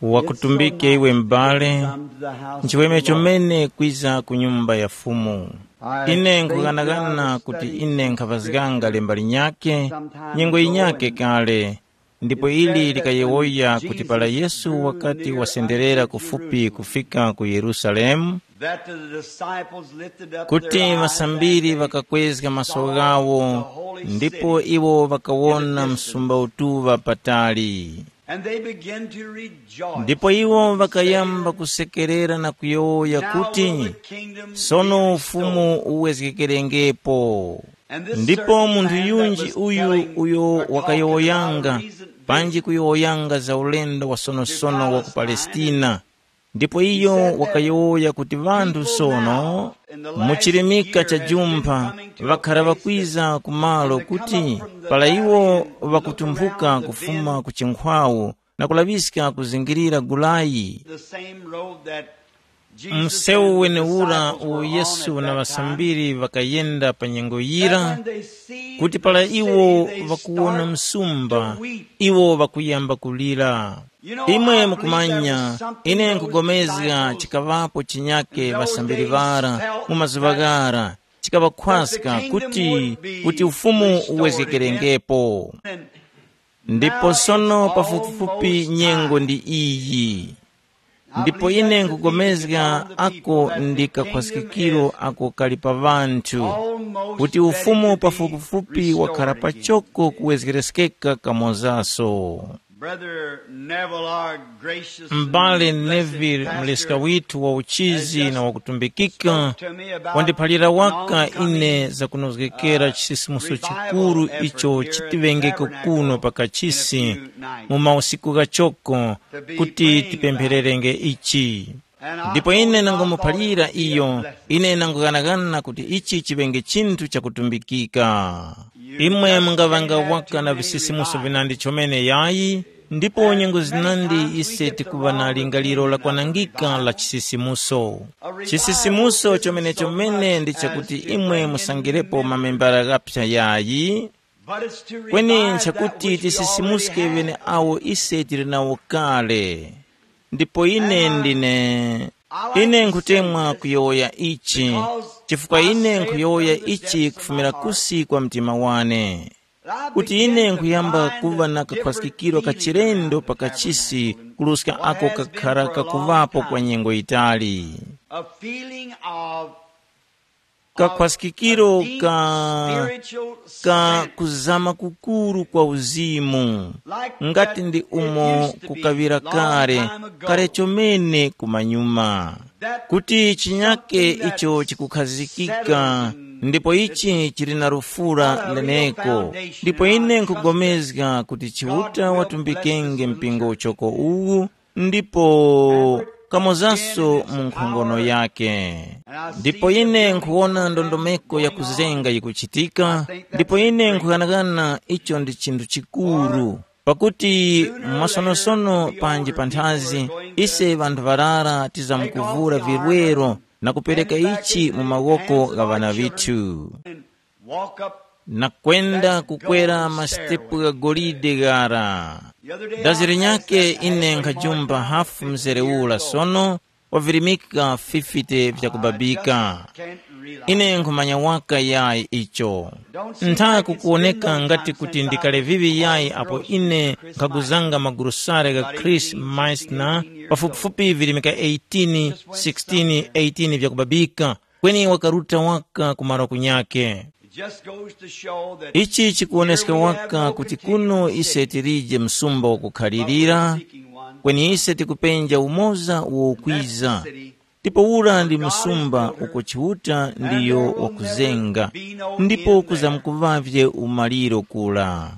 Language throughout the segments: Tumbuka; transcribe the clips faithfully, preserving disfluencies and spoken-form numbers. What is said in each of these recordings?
Wakutumbike iwe m'bale, nchiweme chomene kwiza ku nyumba ya Fumu. Ine nkughanagana kuti ine nkhaŵazganga lemba linyakhe, nyengo yinyakhe kale, ndipo ili likayowoya kuti para Yesu wakati wasenderera kufupi kufika ku Yerusalemu, that the disciples lifted up kuti their eyes ŵasambiri and they ŵakakwezga maso saw ghawo, the holy ndipo city iwo ŵakawona in the distance. Msumba utuŵa patali. And they began to rejoice. Ndipo iwo ŵakayamba kusekerera na kuyowoya kuti, "Sono ufumu uwezgekerengepo." Ndipo munthu yunji uyu uyo wakayowoyanga panji kuyowoyanga za ulendo wa sonosono wa ku Palestina, ndipo iyo wakayowoya kuti ŵanthu sono mu chirimika cha jumpha ŵakhara ŵakwiza ku malo kuti para iwo ŵakutumphuka kufuma ku chinkhwawu na kulaŵiska kuzingirira gulayi. The same road that Jesus Msewu and the wenewura disciples uwo were on Yesu at na that time, ŵasambiri ŵakayenda pa nyengo yira, that when they see kuti the para city, iwo they ŵakuwona start msumba, to weep. Iwo ŵakuyamba kulira. You know, imwe I believe there mukumanya, was something ine in those nkugomezga disciples chikaŵapo chinyake in those ŵasambiri days ŵara felt mu mazuŵa that ghara, chikaŵakhwaska the kingdom kuti, would be kuti ufumu restored uwezgekerengepo. Again. And ndipo now sono it's pafupifupi almost nyengo time. Ndi iyi. Ndipo ine nkugomezga ako ndi kakhwaskikiro ako kali pa ŵanthu, kuti ufumu pafupifupi wakhara pachoko kuwezgereskeka kamozaso. Brother Neville, our gracious and M'bale blessed Neville, pastor, mleska withu wa uchizi na wakutumbikika, wandiphalira waka ine zakunozgekera chisisimuso chikuru icho chitiŵengeko kuno pa kachisi mu mausiku ghachoko kuti tipemphererenge ichi. Ndipo ine nangomuphalira iyo, ine nangughanaghana kuti ichi chiŵenge chinthu chakutumbikika. Imwe mungaŵanga waka na visisimuso vinandi chomene yayi, ndipo nyengo zinandi ise tikuŵa na lingaliro lakwanangika la chisisimuso. Chisisimuso chomene-chomene ndi chakuti imwe musangirepo mamembala ghaphya yayi, kweni nchakuti tisisimuske ŵeneawo ise tili nawo kale. Ndipo ine ndine, ine nkhutemwa kuyowoya ichi, chifukwa ine nkhuyowoya ichi kufumira kusi kwa mtima wane, kuti ine nkhuyamba kuŵa na kakhwaskikiro ka chilendo pa kachisi kuruska ako kakhara kakuŵapo kwa nyengo yitali. A feeling of kakhwaskikiro ka, ka kuzama kukuru kwa uzimu, ngati ndi umo kukaŵira kale, kale chomene kumanyuma, kuti chinyake icho chikukhazikika, ndipo ichi chili na lufura leneko. Ndipo ine nkugomezga kuti Chiuta watumbikenge mpingo uchoko uwu, ndipo kamozaso mu nkhongono yake. Ndipo ine nkhuwona ndondomeko ya kuzenga yikuchitika, ndipo ine nkughanagana icho ndi chinthu chikuru, pakuti mwasonosono panji panthazi ise ŵanthu ŵarara tizamkuvura virwero na kupereka ichi mu mawoko gha ŵana ŵithu. Walk up na kwenda kukwera masitepu gha golide ghara. Dazi linyakhe ine nkhajumba hafu mzere ura sono wavirimika fifite vyakubabika. Ine nkhumanya waka yayi icho. Ntha kukuwoneka ngati kuti ndikale vivi yayi apo ine nkhaguzanga magurusare gha Chris Meissner pafupifupi virimika eighteen, sixteen, eighteen vyakubabika, kweni wakaruta waka ku malo kunyakhe. It just goes to show that ichi chikuwoneska here we have waka no kuti continuous kuno ise tilije msumba wakukhalirira, seeking one. Kweni ise tikupenja umoza uwo ukwiza. City, ndipo ura ndi msumba uko Chiuta ndiyo wakuzenga, ndipo kuzamkuvavye umaliro kula.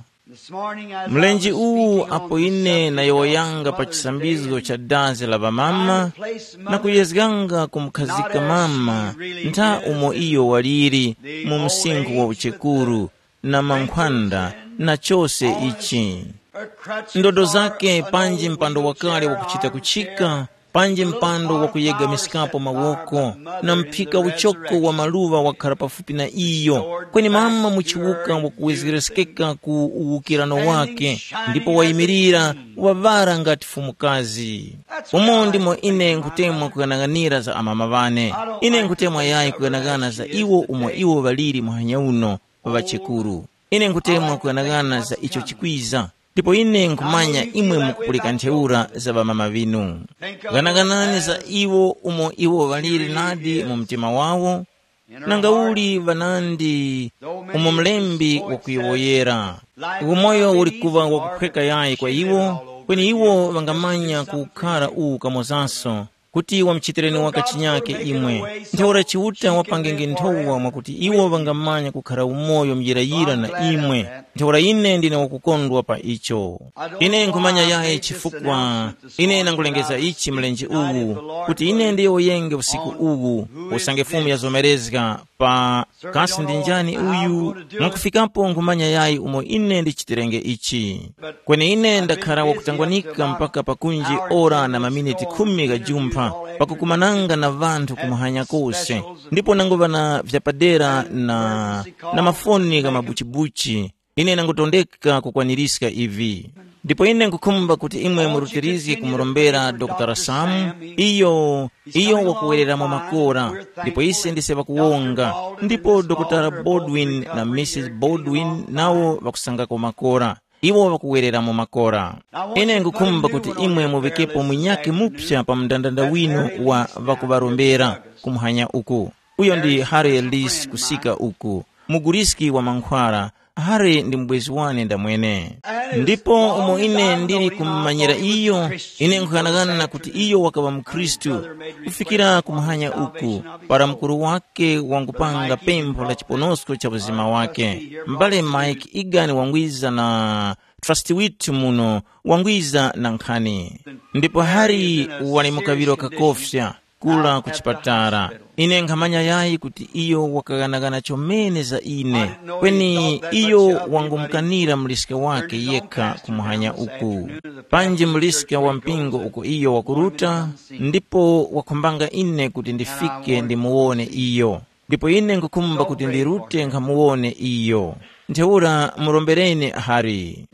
Mlenje uwu apo ine nayowoyanga pa chisambizgo cha dazi la ŵamama na kuyezganga kumukhazika mama ntha umo iyo waliri mu msinkhu wa uchekuru na mankhwanda na chose ichi. Ndodo zake panji mpando wakale wakuchita kuchika, Panji mpando wakuyegamiskapo mawoko, na mphika uchoko wa maluŵa wakhara pafupi na iyo, kweni mama muchiwuka wakuwezgereskeka ku uwukirano wake, ndipo wayimirira waŵara ngati fumukazi. Umo ndimo ine nkhutemwa kughanaghanira za amama ŵane. Ine nkhutemwa yayi kughanagana za iwo umo iwo ŵaliri muhanya uno, ŵachekuru. Ine nkhutemwa kughanagana za icho chikwiza, ndipo ine nkhumanya imwe mukupulika ntheura za ŵamama ŵinu. Ghanaganani za iwo umo iwo ŵaliri nadi mu mtima wawo, nanga uli ŵanandi umo mlembi wakuyowoyera. Umoyo uli kuŵa wakuphweka yayi kwa iwo, kweni iwo ŵangamanya kukhara uwu kamozanso, kuti wamuchitireni waka chinyake imwe. Ntheura Chiuta wapangenge nthowa mwakuti iwo ŵangamanya kukhara umoyo muyirayira na imwe. Ntheura ine ndine wakukondwa pa icho. Ine nkhumanya yayi chifukwa ine nangulengeza ichi mlenje uwu, kuti ine ndiyowoyenge usiku uwu, usange Fumu yazomerezga pa kasi ndi njani uyu, mwakufikapo nkhumanya yayi umo ine ndichitirenge ichi. Kweni ine ndakhara wakutangwanika mpaka pakunji ora na maminiti khumi ghajumpha, pakukumananga na ŵanthu kumuhanya kose, ndipo nanguŵa na vyapadera na, na mafoni gha mabuchibuchi. Ine nangutondeka kukwanirizga ivi. Ndipo ine nkhukhumba kuti imwe murutirizge kumurombera Dr. Sam, iyo, iyo wakuwereramo makora, ndipo ise ndise ŵakuwonga, ndipo Dr. Baldwin na Missus Baldwin nawo ŵakusangako makora. Iwo ŵakuwereramo makora. Ine nkhukhumba kuti imwe muŵikepo munyakhe mupsa pa mndandanda winu wa ŵakuŵarombera kumuhanya uku. Uyo ndi Harry Lis kusika uku, muguriski wa mankhwara. Harry ndi mubwezi wane ndamwene. Ndipo umo ine ndili kumumanyira iyo, ine nkhughanaghana kuti iyo wakaŵa mukhristu kufikira kumuhanya uku, para mukuru wake wangupanga pempho la chiponosko cha uzima wake. M'bale Mike Egan wangwiza na trust withu muno, wangwiza na nkhani. Ndipo Harry wali mukaŵiro kakofya kula ku chipatala. Ine nkhamanya yayi kuti iyo wakaghanagana chomene za ine, kweni iyo wangumukanira muliska wake yekha kumuhanya uku. Panji muliska wa mpingo uko iyo wakuruta, ndipo wakhumbanga ine kuti ndifike ndimuwone iyo. Ndipo ine nkhukhumba kuti ndirute nkhamuwone iyo. Ntheura murombereni Hari.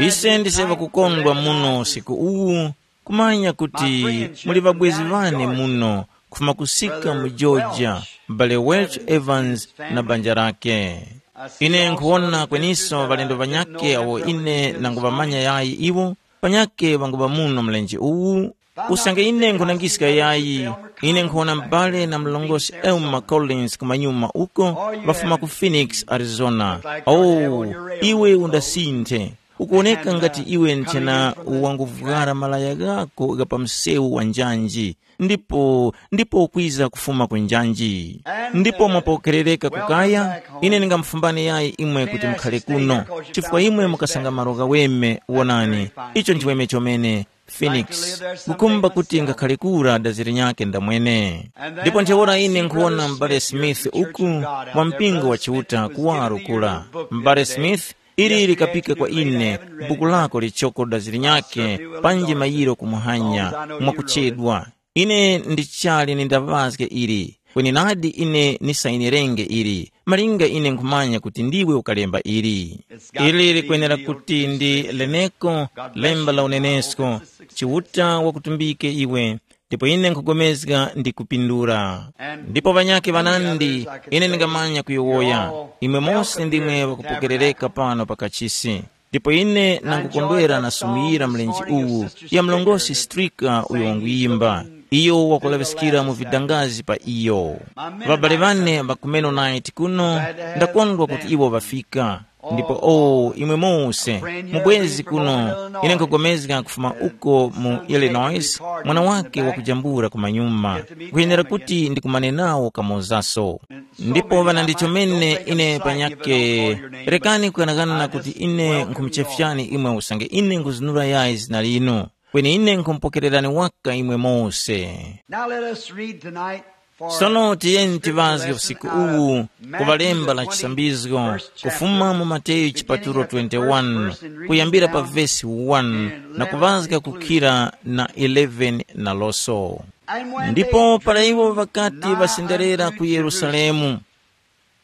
Ise ndise ŵakukondwa muno usiku uwu, kumanya kuti muli ŵabwezi ŵane muno kufuma kusika mu Georgia, m'bale Welch Evans na banja lake. Ine nkhuwona kweniso ŵalendo ŵanyakhe awo ine nanguŵamanya yayi iwo, panyakhe ŵanguŵa muno mlenje uwu. Usange ine nkhulangiska yayi, ine nkhuwona m'bale na mlongosi Elma Collins kumanyuma uko, ŵafuma ku Phoenix, Arizona. Oh, iwe undasinthe. Ukuwoneka ngati iwe nchena wanguvwara malaya ghako gha pa msewu wa njanji, ndipo ndipo ukwiza kufuma ku njanji. Ndipo mwapokerereka kukaya, ine ndingamufumbani yayi imwe kuti mukhale kuno, chifukwa imwe mukasanga malo ghaweme. Wonani, icho nchiweme chomene. Phoenix, kukhumba kuti ngakhale kura dazi linyakhe ndamwene. Ndipo ntheura ine nkhuwona m'bale Smith uku, wa mpingo wa Chiuta kuwaro kura. M'bale Smith, ili likapika kwa ine, buku lako lichoko dazi linyakhe, panji mayiro kumuhanya, mwakuchedwa. Ine ndichali nindaŵazge ili, kweni nadi ine nisayinirenge ili, malinga ine nkhumanya kuti ndiwe ukalemba ili. Ili likwenera kuti ndi leneko, lemba la unenesko, Chiuta wakutumbike iwe, ndipo ine nkhugomezga ndi kupindula. Ndipo ŵanyakhe ŵanandi, ine ndingamanya kuyowoya, imwe mose ndimwe ŵakupokerereka pano pa kachisi. Ndipo ine nangukondwera na sumu yira mlenje uwu ya mlongosi Strika uyo wanguyimba. Iyo wakulaŵiskira mu vidangazi pa iyo. Ŵabale ŵane ŵa ku Mennonite kuno, ndakondwa kuti iwo ŵafika. Ndipo o imwe mose, mubwezi kuno, ine nkhupulikana kufuma uko mu Illinois, mwana wake wakujambula kumanyuma, nkhuyenera kuti ndikumane nawo kamozaso. Ndipo ŵana ndi chomene ine panyakhe, rekani kukanakana kuti ine nkhumuchefyani imwe usange ine nkhuzinura yayi zina linu, kweni ine nkhumupokererani waka imwe mose. Now let us read tonight Sono tiyeni tiŵazge usiku uwu ku ŵalemba la chisambizgo, kufuma mu Mateyu chipatulo twenty-one, kuyambira pa vesi one na kuŵazga kukhira na eleven naloso. Ndipo para iwo ŵakati ŵasenderera ku Yerusalemu,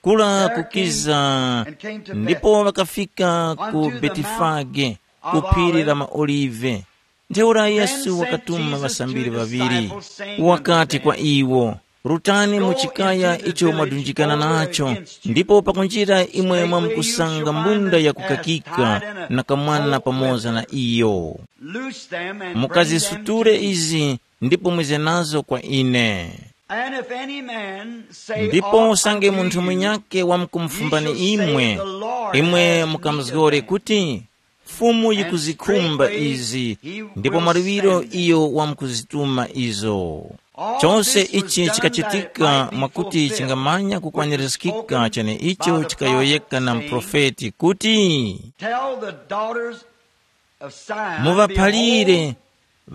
kula kukiza, ndipo ŵakafika ku Betifage, ku phiri la maOlive. Ntheura Yesu wakatuma ŵasambiri ŵaŵiri, wakati kwa iwo, “Rutani mu chikaya icho mwadunjikana nacho, ndipo pakunjira imwe mwamkusanga mbunda yakukakika na kamwana pamoza na iyo. Mukazisuture izi ndipo mwize nazo kwa ine. And if any man say Ndipo aught usange unto munthu you, munyake wamkumufumbani imwe, imwe mukamuzgore kuti, ‘Fumu yikuzikhumba izi,’ ndipo mwaluŵiro iyo wamkuzituma izo. Chose ichi chikachitika mwakuti chingamanya kukwanirizgika cheneicho chikayowoyeka na muprofeti kuti, Tell the daughters of Zion, muvaphalire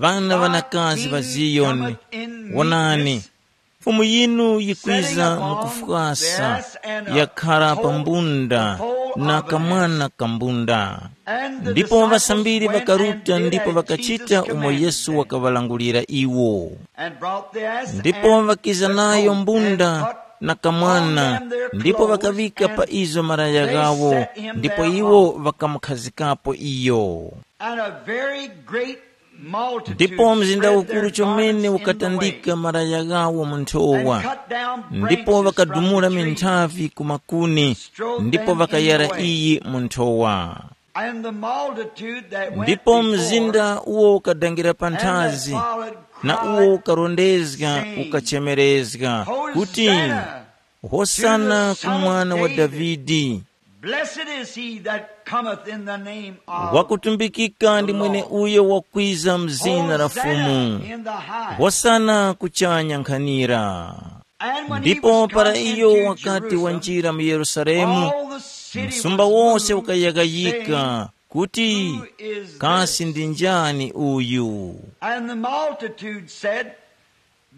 ŵana ŵanakazi ŵa Ziyoni, wonani, Fumu yinu yikwiza mukufwasa, yakhara pa mbunda na kamwana ka mbunda. Ndipo ŵasambiri ŵakaruta ndipo ŵakachita umo Yesu wakaŵalangulira iwo. Ndipo ŵakiza nayo mbunda na kamwana, ndipo ŵakaŵika pa izo malaya ghawo, ndipo iwo ŵakamukhazikapo iyo. And a very great multitude Ndipo mzinda spread ukuru their chomene garments in the ukatandika way, malaya ghawo mu nthowa, and cut down ndipo branches ŵakadumula from the trees, minthavi ku makuni, ndipo ŵakayara iyi mu nthowa. And the multitude that went Ndipo before mzinda uwo ukadangira pa and that nthazi, followed na uwo cried, ukarondezga saying, ukachemerezga kuti, Hosanna, Hosana ku mwana wa Davidi. Blessed is he that cometh in the name of Wakutumbikika ndi mwene uyo wakwiza mzina la Fumu. Hosanna in the highest. Hosana kuchanya nkhanira. And when he Ndipo was para come iyo into wakati Jerusalem, wanjira mu Yerusalemu, all the city msumba was wose moved, ukayakayika saying, kuti, Who is kasi this? Ndi njani uyu? And the multitude said,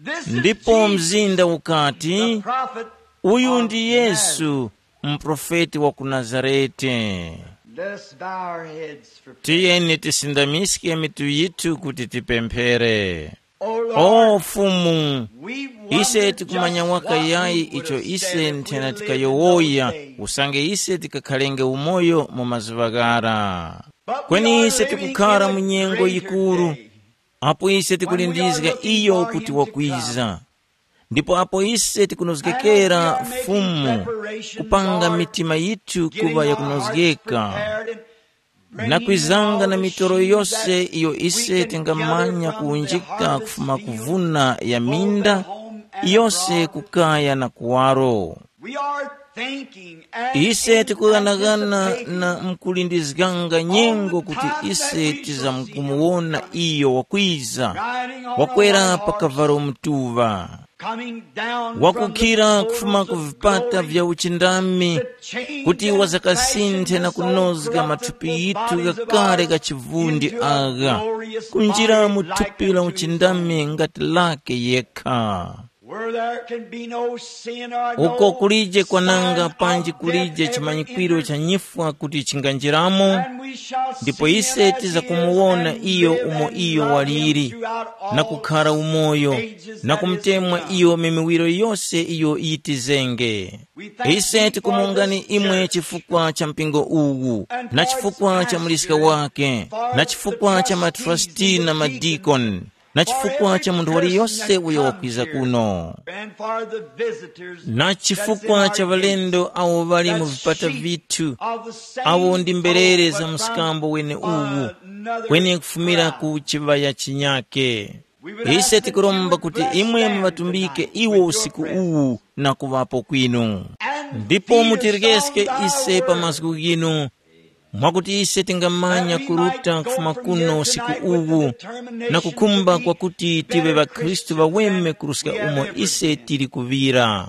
This is Ndipo Jesus, mzinda ukati, the prophet Uyu of ndi Yesu, Nazareth. Mprofeti wa ku Nazarete. Let's bow our heads for prayer. Tiyeni tisindamiske mitu yithu kuti tipemphere. O O Lord, Fumu, we wonder ise tikumanya just waka what yayi we would icho have ise said if we nthena lived in those tikayowoya days. Usange ise tikakhalenge umoyo mu mazuŵa ghara. But we Kweni are ise living tikukhara in a mu nyengo greater yikuru, day. Apo ise tikulindizga iyo kuti wakwiza, ndipo apo ise tikunozgekera Fumu, kupanga mitima yithu kuŵa yakunozgeka, na kwizanga na mitoro yose iyo ise tingamanya kuwunjika kufuma ku vuna ya minda, yose kukaya na kuwaro. Ise tikughanagana na mkulindizganga nyengo kuti ise tizamkumuwona iyo wakwiza, wakwera pa kavalo mutuŵa, wakukhira kufuma ku vipata vya uchindami, kuti wazakasinthe na kunozga mathupi yithu ghakale gha chivundi agha, kunjira mu thupi la uchindami ngati lake yekha. Where there can be no sin or no uko kulije kwananga sign panji of kulije death ever chimanyikwiro entered. Cha nyifwa kuti chinganjiramo, and we shall ndipo see ise him as he is tizakumuwona and iyo live umo and iyo love him waliri, throughout na all kukhara umoyo, ages na that is to kumtemwa come. Iyo mimiwiro yose iyo yitizenge. We thank ise thee for tikumongani this imwe church chifukwa cha mpingo uwu, and na for its chifukwa cha muliska pastor, wake, for na the chifukwa cha trustees matrasti and the na deacons, madikoni, na chifukwa cha munthu waliyose uyo wakwiza kuno, na chifukwa cha ŵalendo awo ŵali mu vipata vithu, awo ndi mberere za mskambo weneuwu, kweni kufumira ku chiŵaya chinyake. Ise tikuromba kuti imwe muŵatumbike iwo usiku uwu na kuŵapo kwinu, ndipo mutirekeske ise pa mazgu ghinu, mwakuti ise tingamanya kuruta kufuma kuno usiku uwu, na kukhumba kwakuti tive ŵakhristu ŵaweme kuruska umo ise tili kuŵira.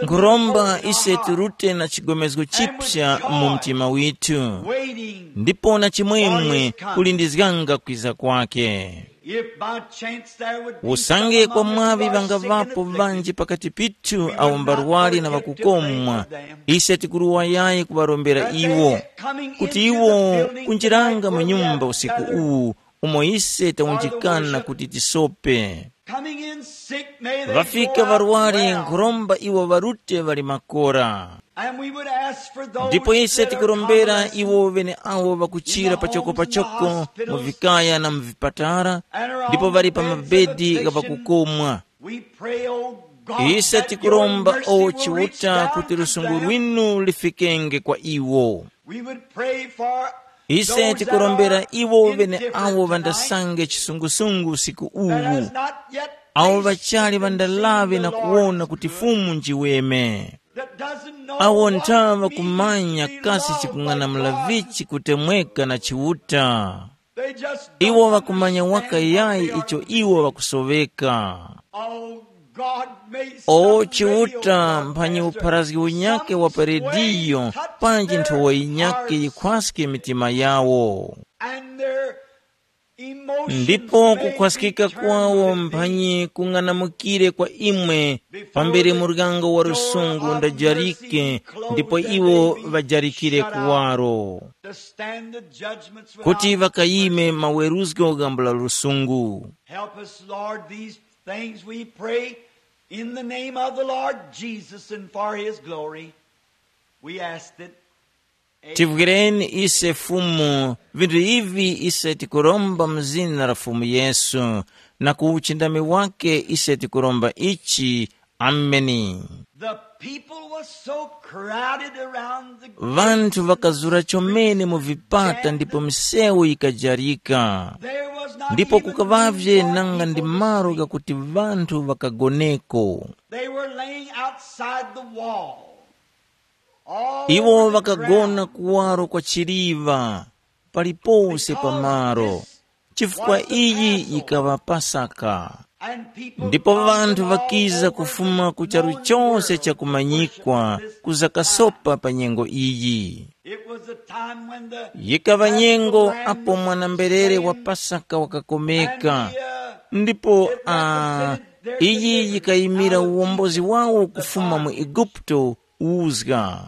Nkhuromba ise tirute na chigomezgo chipsa mu mtima withu, ndipo na chimwemwe kulindizganga kwiza kwake. If by chance there would be usange some kwa among mwaŵi us sick and ŵangavapo afflicted, ŵanji pakati pithu awo mbarwali na ŵakukomwa, ise tikuruwayayi kuŵarombera iwo, kuti iwo kunjiranga mu nyumba usiku uwu umo ise tawunjikana kuti tisope. Coming in sick, may they ŵafika go out ŵarwari well. Nkhuromba iwo ŵarute ŵali makora. And we would ask for those ndipo ise that are tikurombera convalescent iwo ŵeneawo ŵakuchira pachoko pachoko mu vikaya na mu vipatala ndipo ŵali pa mabedi gha ŵakukomwa. We pray, oh God, ise that your tikuromba mercy o will reach chiuta down kuti to lusungu them. Lwinu lifikenge kwa iwo. We would pray for ise those that tikurombera are iwo ŵeneawo indifferent tonight, ŵandasange chisungusungu usiku that uwu has not yet awo tasted ŵachali and seen ŵandalaŵe the na Lord kuwona is kuti good. Fumu njiweme. That doesn't know awo what it nthaŵa means kumanya to be kasi loved by chikung'anamula God. Vichi kutemweka na chiuta. They just iwo don't ŵakumanya waka understand what yayi they are icho missing. Iwo ŵakusoweka. Oh God, may o some radio chiuta mphanyi broadcaster, upharazgi unyake some wa perediyo swaying touch panji their nthowa inyake hearts yikhwaske mitima yawo. And their emotions ndipo may kukhwaskika be turned kwawo to thee. Mphanyi kung'anamukire kwa imwe pambere muryango wa lusungu undajarike ndipo iwo ŵajarikire kuwaro to stand the judgments kuti without ŵakayime maweruzgo gambula lusungu. Help us, Lord, these things we pray in the name of the Lord Jesus and for his glory. We asked it. Tivwireni ise Fumu, vinthu ivi ise tikuromba mu zina la Fumu Yesu, na ku uchindami wake ise tikuromba ichi. Ameni. The people was so crowded around the gate. Vanthu vakazura chomene mu vipata ndipo misewu yikajarika. There was not ndipo even kukavavye room for nanga people ndi to malo sleep. Gakuti vanthu vakagoneko. They were laying outside the wall. All iwo over the vakagona ground. Kuwaro kwa chiliva palipose pa malo. Because this chifukwa was the iyi Passover. Yikaŵa pasaka. And people ndipo come vanthu from all vakiza over kufuma the ku charu known chose world chakumanyikwa to worship this kuza time. Kasopa pa nyengo iyi. It was a time when the yikaŵa nyengo Passover lamb apo was mwana-mberere wa slain, pasaka wakakomeka and he, uh, ndipo it a represented their iyi deliverance yikayimira out of uwombozi Egypt, wawo the kufuma mu bondage. Igupto uzga.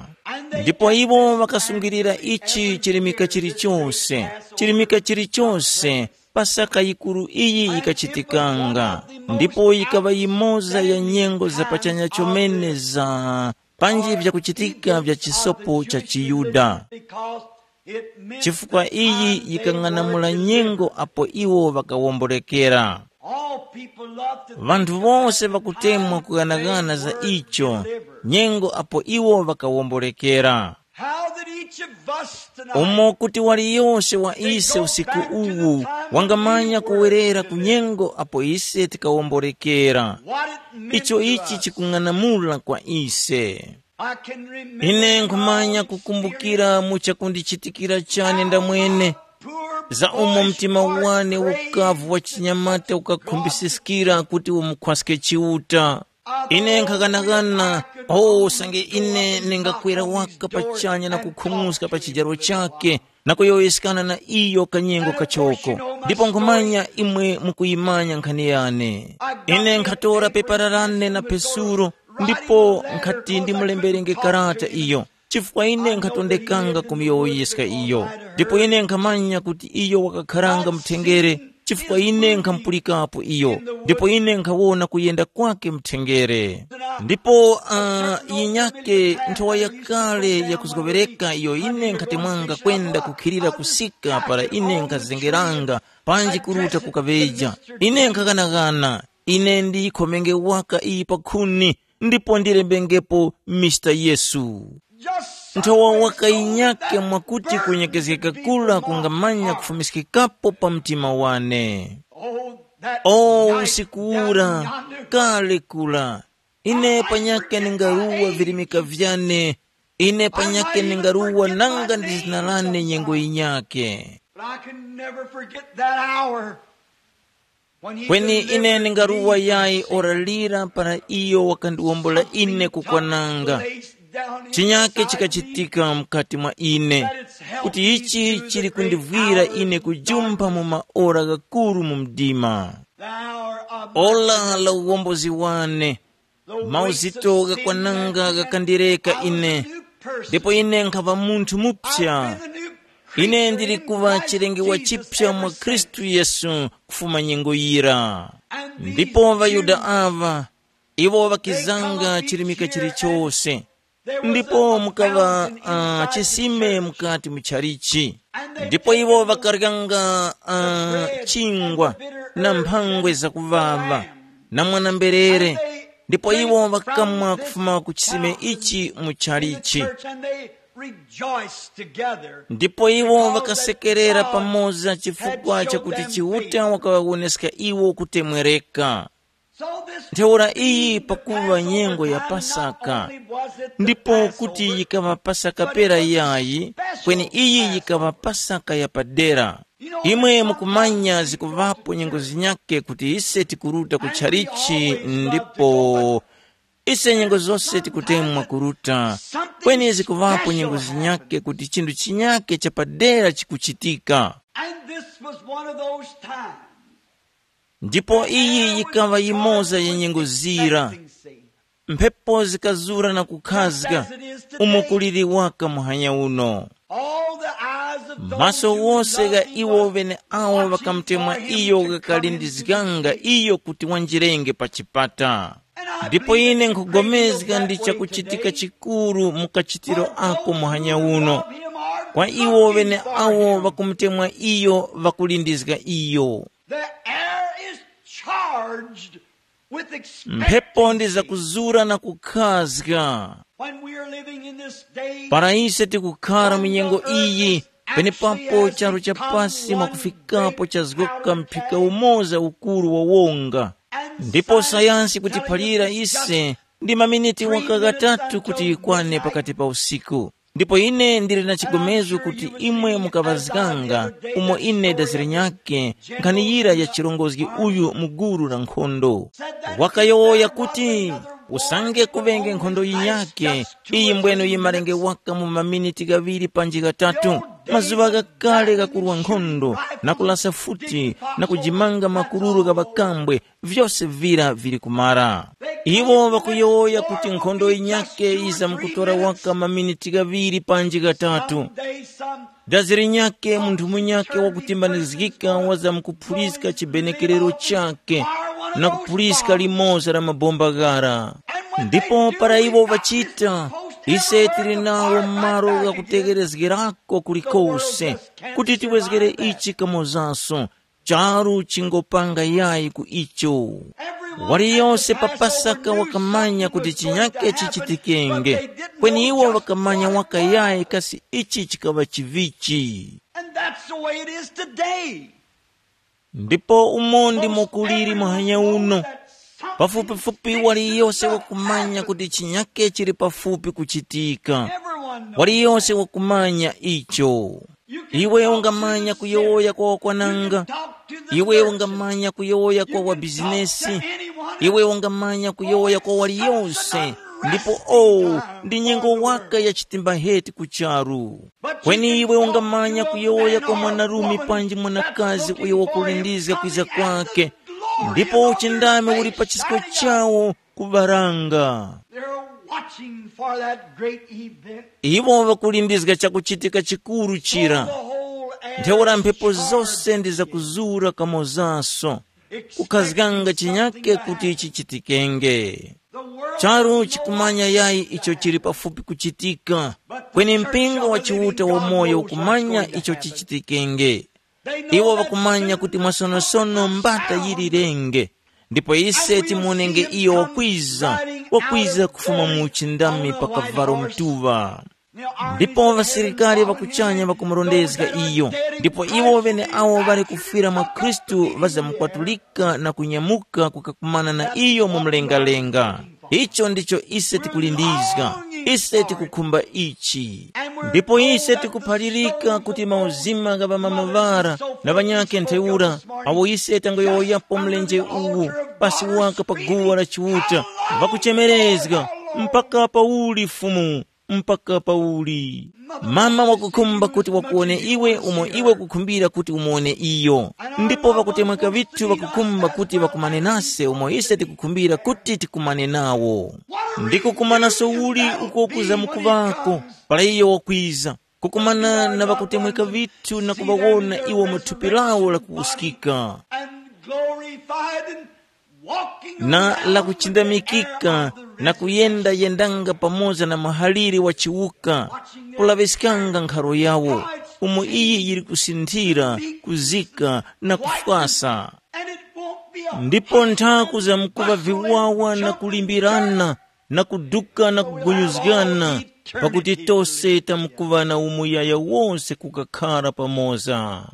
Ndipo iwo ŵakasungilira ichi chirimika chilichose, chirimika chilichose, Pasaka yikuru iyi yikachitikanga, ndipo yikaŵa yimoza ya nyengo za pachanya chomene za panji vyakuchitika vya chisopo cha chiYuda. Chifukwa iyi yikang'anamula nyengo apo iwo ŵakawomborekera. All people love to think vanthu about vose the vakutemwa time kughanaghana when za they were icho delivered. Nyengo apo iwo vakawomborekera. How that each of us tonight umo kuti waliyose wa think ise go usiku back to the uwu time when wangamanya we were kuwerera ku delivered. Nyengo apo ise tikawomborekera. What it meant icho to ichi us. Chikung'anamula kwa ise. I can remember ine nkhumanya kukumbukira mu chakundichitikira chane ndamwene za umo mtima wane ukavu wa chinyamata ukakhumbisikira kuti umukhwaske Chiuta. Ine nkhakanakana, o usange ine ningakwera waka pachanya na kukhung'uska pa chijaro chake na kuyowoyeskana na iyo kanyengo kachoko. Ndipo nkhumanya imwe mukuyimanya nkhani yane. Ine nkhatora pepara lane na pesuro ndipo nkhati ndimulemberenge karata iyo, chifukwa ine nkhatondekanga kumuyowoyeska iyo. Ndipo ine nkhamanya kuti iyo wakakharanga muthenjere, chifukwa ine nkhamupulikapo iyo, ndipo ine nkhawona kuyenda kwake muthenjere. Ndipo uh, yinyake nthowa yakale yakuzgoŵereka iyo ine nkhatemwanga kwenda kukhilira kusika para ine nkhazengeranga panji kuruta kukaŵeja. Ine nkhaghanaghana, ine ndiyikhomenge waka iyi pa khuni, ndipo ndilembengepo Mister Yesu. Nthowa waka yinyake mwakuti kunyekezgeka kura kungamanya kufumiskikapo pa mtima wane. O usiku ura, kale kura, ine panyake ningaruwa virimika vyane, ine panyake ningaruwa nanga ndi zina lane nyengo yinyake. But I can never forget that hour. Kweni ine ningaruwa yayi ora lira para iyo wakandiwombola ine kukwananga. Chinyake chikachitika mukati mwa ine. kuti ichi chili kundivwira ine kujumpha mu maora ghakuru mu mdima. Ola la uwombozi wane, mauzito ghakwananga ghakandireka ine, ndipo ine nkhava munthu mupya. Ine ndili kuŵa chilengewa chipya mwa Khristu Yesu kufuma nyengo yira. Ndipo ŵaYuda aŵa, iwo ŵakizanga chilimika chilichose, ndipo mukaŵa uh, chisime mukati mu chalichi. Ndipo iwo ŵakaryanga uh, chingwa na mphangwe zakuŵaŵa na mwana-mberere, ndipo iwo ŵakamwa kufuma ku chisime ichi mu chalichi. Church, and they rejoiced together. Ndipo iwo ŵakasekerera pamoza chifukwa chakuti Chiuta wakaŵawoneska iwo kutemwereka. So this ntheura iyi being the pakuva Passover nyengo ya time, not Pasaka, only was it the ndipo Passover, kuti yikaŵa Pasaka pera yayi, kweni iyi yikaŵa Pasaka yapadera. Imwe mukumanya zikuŵapo nyengo zinyake kuti ise tikuruta ku chalichi, ndipo ise nyengo zose tikutemwa kuruta, kweni zikuŵapo nyengo zinyake kuti chinthu chinyake chapadera chikuchitika. And this was one of those times. Ndipo iyi yikaŵa yimoza ya nyengo zira. Mphepo zikazura na kukhazga, umo kuliri waka muhanya uno. All the eyes of those Maso who wose loved gha him iwo was ŵeneawo watching ŵakamutemwa for him iyo to come ghakalindizganga into iyo kuti wanjirenge pa chipata. Ndipo ine nkhupulikana ndi chakuchitika chikuru mu kachitiro ako muhanya uno, kwa iwo ŵeneawo ŵakumutemwa iyo ŵakulindizga iyo. The air is charged with expectancy. Mphepo ndi zakuzura na kukhazga. When we are living in this day, para ise tikukhara mu nyengo iyi, penepapo charu cha pasi mwakufikapo chazgoka mphika umoza ukuru wa wonga. Ndipo sayansi kutiphalira ise ndi maminiti waka ghatatu kuti yikwane pakati pa usiku. Ndipo ine ndili na chigomezo kuti imwe mukaŵazganga umo ine daziri nyakhe nkhani yira ya chirongozgi uyu mu gulu la nkhondo. Wakayowoya kuti, usange kuŵenge nkhondo yinyakhe, iyi mbweno yimarenge waka mu maminiti ghaŵiri panji ghatatu, mazuŵa ghakale ghakurwa nkhondo, na kulasa futi, na kujimanga makururu gha ŵakambwe, vyose vira vili kumara. Iwo ŵakuyowoya kuti nkhondo yinyakhe yizamkutora waka maminiti ghaŵiri panji ghatatu. Dazi linyakhe munthu munyakhe wakutimbanizgika wazamkuphuliska chibenekerero chakhe na kuphuliska limoza la mabomba ghara. Ndipo para iwo ŵachita, ise tili nawo malo ghakutegherezgerako kulikose, kuti tiwezgere ichi kamozaso, charu chingopanga yayi ku icho. Waliyose pa Pasaka wakamanya kuti chinyake chichitikenge, kweni iwo ŵakamanya waka yayi kasi ichi chikaŵa chivichi. And that's the way it is today. Ndipo umo ndimo kuliri muhanya uno. Pafupifupi waliyose wakumanya kuti chinyake chili pafupi kuchitika. Waliyose wakumanya icho. Iwe ungamanya kuyowoya kwa wakwananga. Iwe ungamanya kuyowoya kwa wabizinesi. Iwe ungamanya kuyowoya kwa waliyose. Ndipo oh, ndi nyengo waka ya chitimba heti ku charu. Kweni iwe ungamanya kuyowoya kwa mwanarume panji mwanakazi uyo wakulindizga kwiza kwake, ndipo uchindami uli pa chisko chawo kubaranga. They're watching for that great event. Iwo ŵakulindizga chakuchitika chikuru chira. The whole air ntheura mphepo zose ndi zakuzura kamozaso, kukhazganga chinyake kuti chichitikenge. Charu chikumanya yayi icho chili pafupi kuchitika, kweni mpingo wa Chiuta wamoyo ukumanya icho chichitikenge. Iwo ŵakumanya kuti mwasonosono mbata yili lenge, ndipo ise timuonenge iyo wakwiza, wakwiza kufuma mu uchindami pa kavalo mtuŵa. Ndipo ŵasilikari ŵa kuchanya ŵakumurondezga iyo, ndipo iwo ŵeneawo ŵali kufwira mwa Khristu ŵazamukwatulika na kunyamuka kukakumana na iyo mu mlengalenga. Icho ndicho ise tikulindizga, ise tikukhumba ichi. Ndipo ise tikuphalirika kuti mauzima gha ŵamama ŵara na ŵanyakhe ntheura, awo ise tangoyowoyapo mlenje uwu pasi waka pa guwa la Chiuta, ŵakuchemerezga, mpaka pauli Fumu? Mpaka pauli? Mama wakukhumba kuti wakuwone iwe umo iwe kukhumbira kuti umuwone iyo. Ndipo ŵakutemweka vithu ŵakukhumba kuti ŵakumane nase umo ise tikukhumbira kuti tikumane nawo. Ndi kukumanaso uli uko kuza mukuŵako para iyo wakwiza, kukumana na ŵakutemweka vithu na kuŵawona iwo mu thupi lawo lakuwuskika, and glorified and walking na around lakuchindamikika with the na risen kuyenda-yendanga pamoza na muhaliri wa chiwuka, kulaŵiskanga nkharo yawo, umo iyi yili kusinthira, kuzika na kufwasa. And it won't be a ndipo nthaku za mkuva viwawa na kulimbirana na kuduka na kugunyuzgana, pakuti tose tamkuva na umuyaya wose kukakhara pamoza.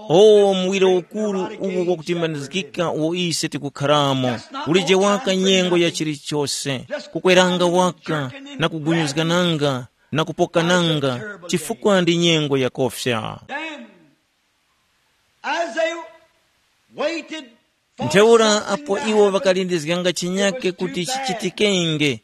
O muwiro ukuru uwu wakutimbanizgika uwo ise tikukharamo, ulije waka nyengo ya chilichose, kukweranga waka na kugunyuzgananga na kupokananga, chifukwa ndi nyengo yakofya. Then, as they waited for ntheura something apo to iwo happen, vakalindizganga chinyake kuti chichitikenge,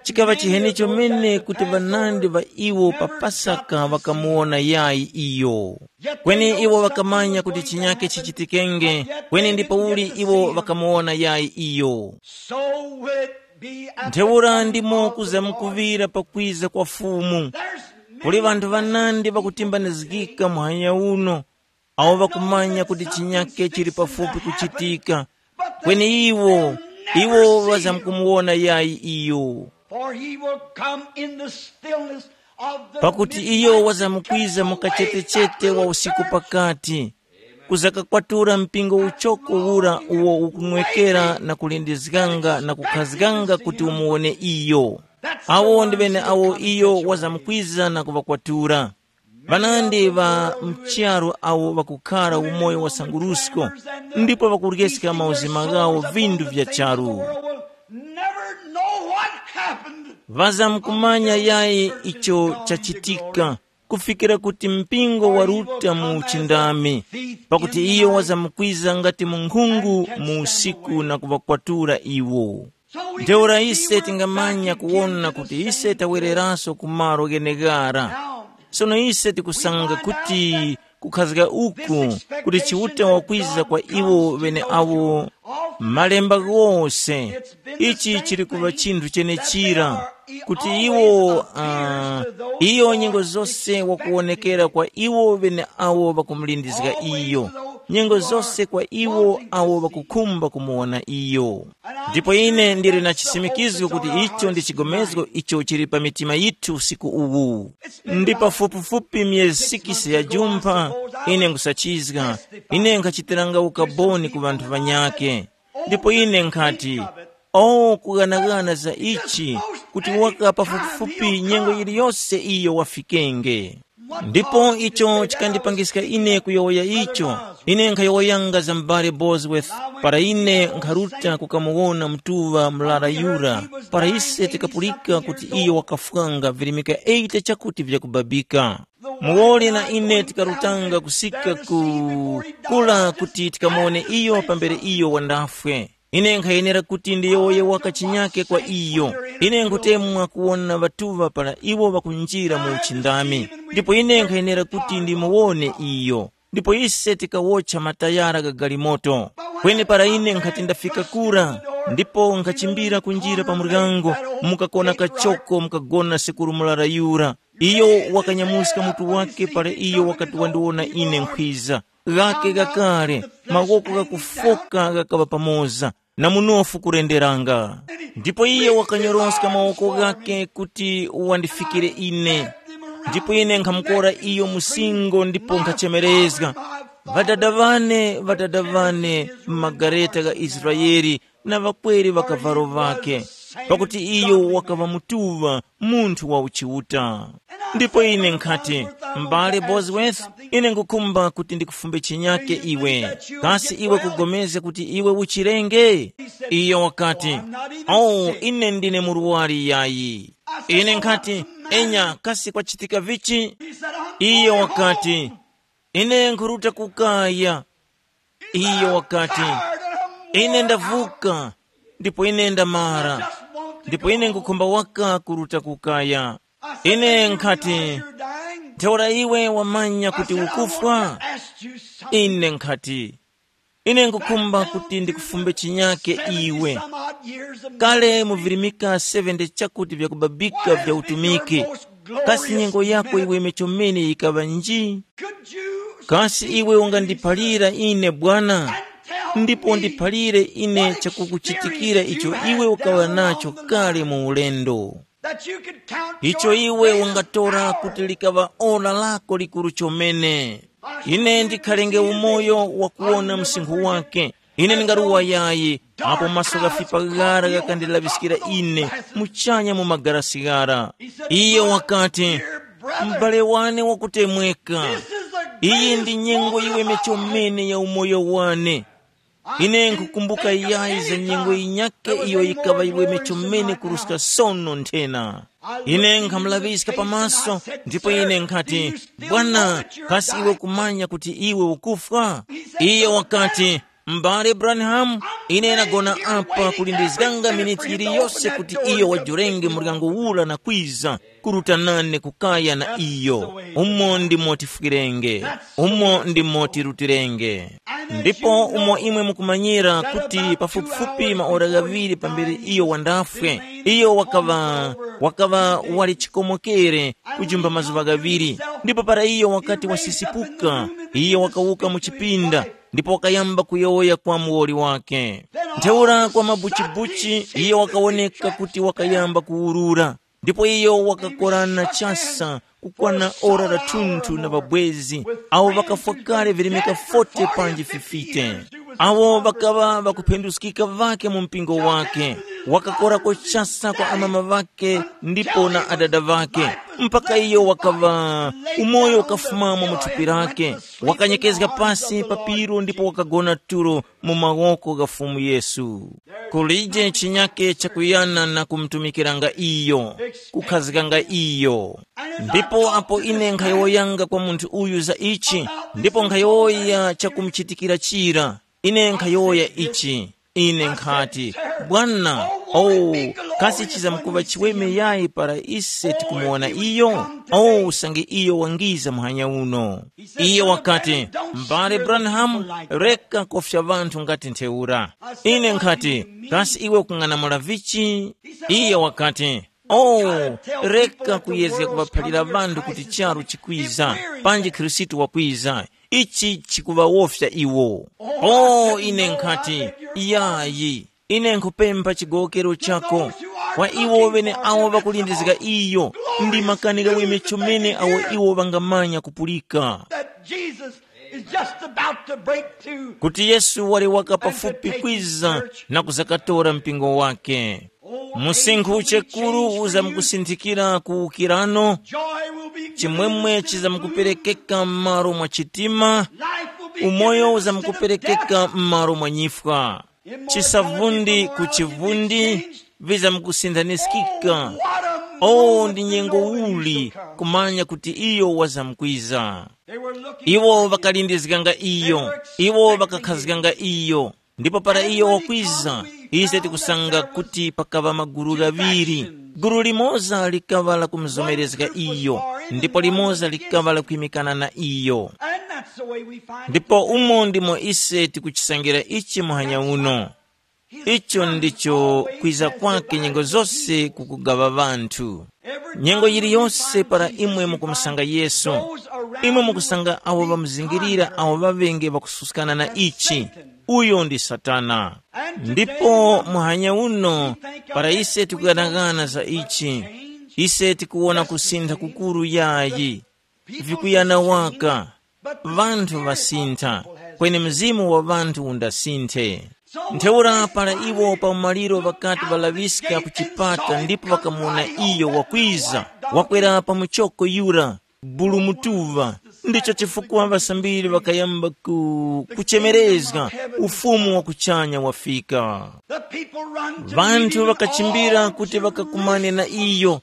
chikaŵa chiheni chomene kuti ŵanandi ŵa iwo pa Pasaka ŵakamuwona yayi iyo. Kweni iwo ŵakamanya kuti chinyake chichitikenge, kweni ndi pauli iwo ŵakamuwona yayi iyo. So will it be at the ntheura coming ndimo of the kuza Lord. Mukuŵira pakwiza kwa Fumu. There's kuli many ŵanthu ŵanandi ŵakutimbanizgika muhanya uno, awo ŵakumanya kuti chinyake chili pafupi kuchitika, kweni iwo, iwo ŵazamkumuwona yayi iyo. For he will come in the stillness of the pakuti iyo wazamkwiza mu kachetechete wa usiku pakati, kuzakakwatura mpingo uchoko ura uwo ukunwekera na kulindizganga na kukhazganga kuti umuwone iyo. Awo ndi ŵene awo iyo wazamkwiza na kuŵakwatura. Ŵanandi ŵa mcharu awo ŵakukhara umoyo wa sangurusko, ndipo ŵakuryeska mauzima ghawo vindu vya charu. Ŵazamkumanya yayi icho chachitika, kufikira kuti mpingo waruta mu uchindami, pakuti iyo wazamkwiza ngati munkhungu mu usiku na kuŵakwatura iwo. Ntheura ise tingamanya kuwona kuti ise tawereranso ku malo gheneghara. Sono ise tikusanga kuti kukhazga uku kuti Chiuta wakwiza kwa iwo ŵeneawo malemba ghose, ichi chili kuŵa chinthu chenechira, kuti iwo uh, iyo nyengo zose wakuwonekera kwa iwo ŵeneawo ŵakumulindizga iyo, nyengo zose kwa iwo awo ŵakukhumba kumuwona iyo. Ndipo ine ndili na chisimikizgo kuti icho ndi chigomezgo icho chili pa mitima yithu usiku uwu. Ndi pafupifupi myezi sikisi ya jumpha, ine nkhusachizga, ine nkhachitiranga ukaboni ku ŵanthu ŵanyakhe. Ndipo ine nkhati, o kughanaghana za ichi, kuti waka pafupifupi nyengo yiliyose iyo wafikenge. Ndipo icho chikandipangiska ine kuyowoya icho. Ine nkhayowoyanga za m'bale Bosworth, para ine nkharuta kukamuwona mtuŵa murara yura, para ise tikapulika kuti iyo wakafwanga virimika eighty chakuti vyakubabika. Muwoli na ine tikarutanga kusika ku kula kuti tikamuwone iyo pambere iyo wandafwe. Ine nkhayenera kuti ndiyowoye waka chinyake kwa iyo. Ine nkhutemwa kuwona ŵatuŵa para iwo ŵakunjira mu uchindami, ndipo ine nkhayenera kuti ndimuwone iyo. Ndipo ise tikawotcha matayara gha galimoto. Kweni para ine nkhati ndafika kura, ndipo nkhachimbira kunjira pa muryango, mukakona kachoko mukagona sekuru murara yura. Iyo wakanyamuska mutu wake para iyo wakati wandiwona ine nkhwiza. Ghake ghakale, mawoko ghakufoka ghakaŵa pamoza, na munofu kurenderanga. Ndipo iye wakanyoroska mawoko ghake kuti wandifikire ine. Ndipo ine nkhamukora iyo musingo ndipo nkhachemerezga, ŵadada ŵane, ŵadada ŵane, m'magareta gha Israele, na ŵakweri ŵakavalo ŵakhe, pakuti iyo wakaŵa mutuŵa, munthu wa uchiuta. Ndipo ine nkhati, m'bale Bosworth, ine ngukhumba kuti ndikufumbe chinyake iwe. Kasi iwe kugomezga kuti iwe uchirenge? Iyo wakati, oh, ine ndine murwari yayi. Ine nkhati, enya, kasi kwachitika vichi? Iyo wakati, ine nkhuruta kukaya. Iyo wakati, ine ndavuka, ndipo ine ndamara, ndipo ine ngukhumba waka kuruta kukaya. Ine nkhati, ntheura iwe wamanya kuti ukufwa? Ine nkhati, ine nkukhumba kuti ndikufumbe chinyake iwe. Kale muvirimika seventy chakuti vyakubabika vya utumiki, kasi nyengo yako iwe mechomene yikaŵa nji? Kasi iwe ungandiphalira ine bwana, ndipo ndiphalire ine chakukuchitikira icho iwe ukaŵa nacho kale mu ulendo, icho iwe ungatora kuti likaŵa ora lako likuru chomene. Ine ndikhalenge umoyo wakuwona msinkhu wake. Ine ndingaruwa yayi, apo maso ghafipa ghara ghakandilaŵiskira ine muchanya mu magarasi ghara. Iye wakati, m'bale wane wakutemweka, iyi ndi nyengo yiweme chomene ya umoyo wane. Ine nkhukumbuka yayi za nyengo yinyakhe iyo yikaŵa yiweme chomene kuruska sono nthena. Ine nkhamulaŵiska pamaso, ndipo ine nkhati, bwana, kasi iwe kumanya kuti iwe ukufwa? Iye wakati, m'bale Branham, ine nagona apa kulindizganga miniti yiliyose kuti iyo wajurenge muryango ura na kwiza kuruta nane kukaya na iyo. Umo ndimo tifwirenge, umo ndimo tirutirenge. Ndipo umo imwe mukumanyira kuti pafupifupi maora ghaŵiri pambere iyo wandafwe, iyo wakaŵa wakaŵa wali chikomokere kujumba mazuŵa ghaŵiri. Ndipo para iyo wakati wasisipuka, iyo wakawuka mu chipinda, ndipo wakayamba kuyowoya kwa muwoli wake. Ntheura kwa mabuchibuchi iyo wakawoneka kuti wakayamba kuwurura. Ndipo iyo wakakorana chasa kukwana ora la thunthu na ŵabwezi, awo ŵakafwa kale virimika forty panji fifty, awo ŵakaŵa ŵakuphenduskika ŵake mu mpingo wake. Wakakorako chasa kwa amama ŵake ndipo na adada ŵake, mpaka iyo wakaŵa umoyo ukafumamo mu thupi lake. Wakanyekezga pasi pa piro ndipo wakagona tulo mu mawoko gha Fumu Yesu. Kulije chinyake chakuyana na kumtumikiranga iyo, kukhazganga iyo. Ndipo apo ine nkhayowoyanga kwa munthu uyu za ichi, ndipo nkhayowoya chakumuchitikira chira, ine nkhayowoya ichi. Ine nkhati, bwana, oh, kasi chizamkuŵa chiweme yayi para ise tikumuwona iyo? Oh, usange iyo wangiza muhanya uno. Iye wakati, m'bale Branham, reka kofya ŵanthu ngati ntheura. Ine nkhati, kasi iwe ukung'anamula vichi? Iye wakati, oh, reka kuyezga kuŵaphalira ŵanthu kuti charu chikwiza, panji Khristu wakwiza. Ichi chikuŵawofya iwo. Oh, ine nkhati, yayi. Ine nkhupempha chigowokero chako kwa iwo ŵeneawo ŵakulindizga iyo, ndi makani ghaweme chomene awo iwo ŵangamanya kupulika, that Jesus is just about to break through. Kuti Yesu wali waka pafupi kwiza na kuzakatora mpingo wake. Musinkhu chekuru uzamkusinthikira kuwukirano, joy will be given chimwemwe to the chizamkuperekeka m'malo mwa chitima, life will be umoyo given instead of death. Uzamkuperekeka m'malo mwa nyifwa. Chisavundi ku chivundi vizamkusindaniskika. Oh, ndi nyengo uli kumanya kuti iyo wazamkwiza. Iwo ŵakalindizganga iyo, iwo ŵakakhazganga iyo. Ndipo para iyo wakwiza, ise tikusanga kuti pakaŵa magulu ghaŵiri. Gulu limoza likaŵa la kumuzomerezga iyo, ndipo limoza likaŵa la kwimikana na iyo. Ndipo umo ndimo ise tikuchisangira ichi muhanya uno. Icho ndicho kwiza kwake nyengo zose kukugaŵa ŵanthu. Nyengo yiliyose para imwe mukumusanga Yesu, imwe mukusanga awo ŵamuzingirira awo ŵaŵenge ŵakususkana na ichi, uyo ndi Satana. Ndipo muhanya uno, para ise tikuganaghana za ichi, ise tikuwona kusintha kukuru yayi. Vikuyana waka, ŵanthu ŵasintha, kweni mzimu wa ŵanthu undasinthe. Ntheura para iwo pa umaliro ŵakati ŵalaŵiska ku chipata ndipo ŵakamuwona iyo wakwiza, wakwera pa muchoko yura, bulu mutuŵa, ndicho chifukwa ŵasambiri ŵakayamba ku, kuchemerezga, ufumu wa kuchanya wafika. Ŵanthu ŵakachimbira kuti ŵakakumane na iyo,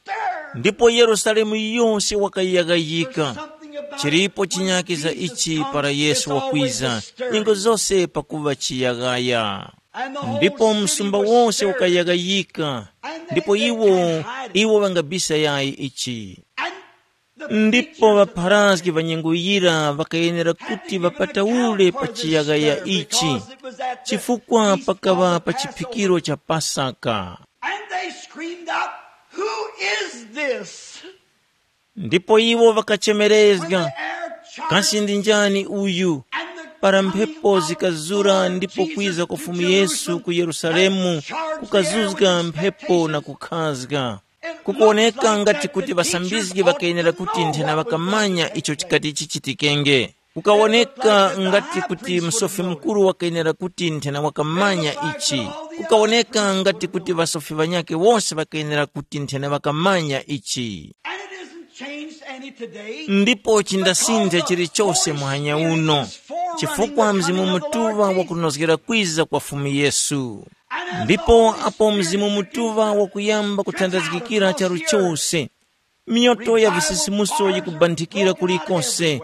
ndipo Yerusalemu yose wakayaghayika. Chilipo chinyaki za ichi para Yesu wakwiza, nyengo zose pakuŵa chiyaghaya. Ndipo msumba wose ukayaghayika, ndipo iwo, iwo ŵangabisa yayi ichi. Ndipo ŵapharazgi ŵa nyengo yira ŵakayenera kuti ŵapataule pa chiyaghaya ichi, chifukwa pakaŵa pa chiphikiro cha Pasaka. And they screamed out, "Who is this?" Ndipo iwo ŵakachemerezga, "Kasi ndi njani uyu?" Para mphepo zikazura ndipo kwiza kwa Fumu Yesu ku Yerusalemu, kukazuzga mphepo na kukhazga. Kukuwoneka ngati kuti ŵasambizgi ŵakayenera kuti nthena ŵakamanya icho chikati chichitikenge. Kukawoneka ngati kuti Msofi Mukuru wakayenera kuti nthena wakamanya ichi. Kukawoneka ngati kuti ŵasofi ŵanyakhe wose ŵakayenera kuti nthena ŵakamanya ichi. And it isn't changed any today. Ndipo chindasintha chilichose muhanya uno, chifukwa Mzimu Mutuŵa wakunozgera kwiza kwa Fumu Yesu. Ndipo apo Mzimu Mutuŵa wakuyamba kuthandazgikira charu chose, miyoto ya visisimuso yikubanthikira kulikose,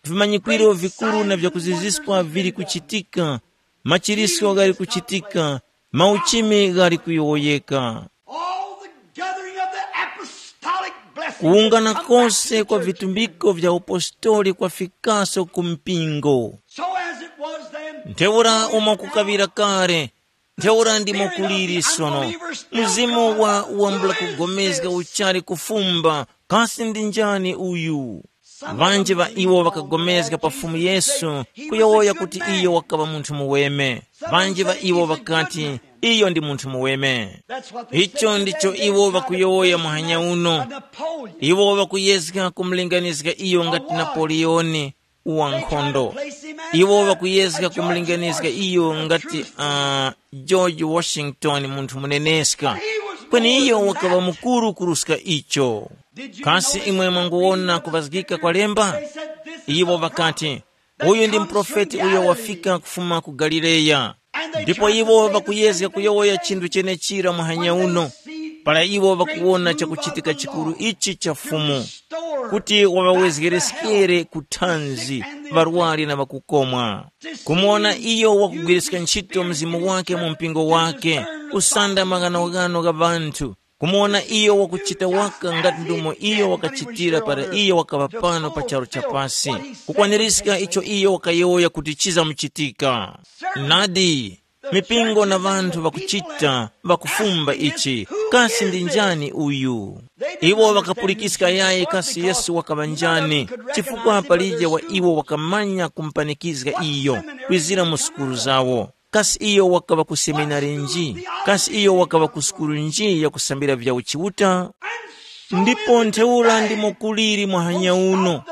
vimanyikwiro vikuru na vyakuziziskwa vili kuchitika, machiriso ghali kuchitika, mauchimi ghali kuyowoyeka. All the gathering of the apostolic blessings kuwungana has come back to kose the kwa church. Vitumbiko vya upostoli kwafikaso ku mpingo. So as it was then, ntheura umo kukaŵira kale, ntheura ndimo kuliri sono. Mzimu wa wambula kugomezga uchali kufumba, kasi ndi njani uyu? Vanji va iwo ŵakagomezga pa Fumu Yesu, kuyowoya kuti iyo wakaŵa munthu muweme. Vanji va iwo ŵakati, iyo ndi munthu muweme. Icho ndicho iwo ŵakuyowoya muhanya uno. Iwo ŵakuyezga kumulinganizga iyo ngati Napoleoni, wankhondo. Iwo ŵakuyezga kumulinganizga iyo ngati uh, George Washington, munthu muneneska. Kweni iyo wakaŵa mukuru kuruska icho. Kasi imwe mwanguwona kuŵazgika kwa lemba? Iwo ŵakati, uyu ndi muprofeti uyo wafika kufuma ku Galileya. Ndipo iwo ŵakuyezga kuyowoya chinthu chenechira muhanya uno, para iwo ŵakuwona chakuchitika chikuru ichi cha Fumu, kuti waŵawezgereskere ku thanzi ŵarwari na ŵakukomwa. Kumuwona iyo wakugwiriska ntchito mzimu wake mu mpingo wake, kusanda maghanoghano gha ŵanthu, kumuwona iyo wakuchita waka ngati ndumo iyo wakachitira para iyo wakaŵa pano pa charu cha pasi, kukwanirizga icho iyo wakayowoya kuti chizamuchitika. Nadi, mipingo na ŵanthu ŵakuchita ŵakufumba ichi, kasi ndi njani uyu? Iwo ŵakapulikiska yayi kasi Yesu wakaŵa njani, chifukwa palije wa iwo wakamanya kumupanikizga iyo kwizira mu sukulu zawo. Kasi iyo wakaŵa ku seminari nji? Kasi iyo wakaŵa ku sukulu nji yakusambira vya uchiuta? Ndipo ntheura ndimo kuliri muhanya uno.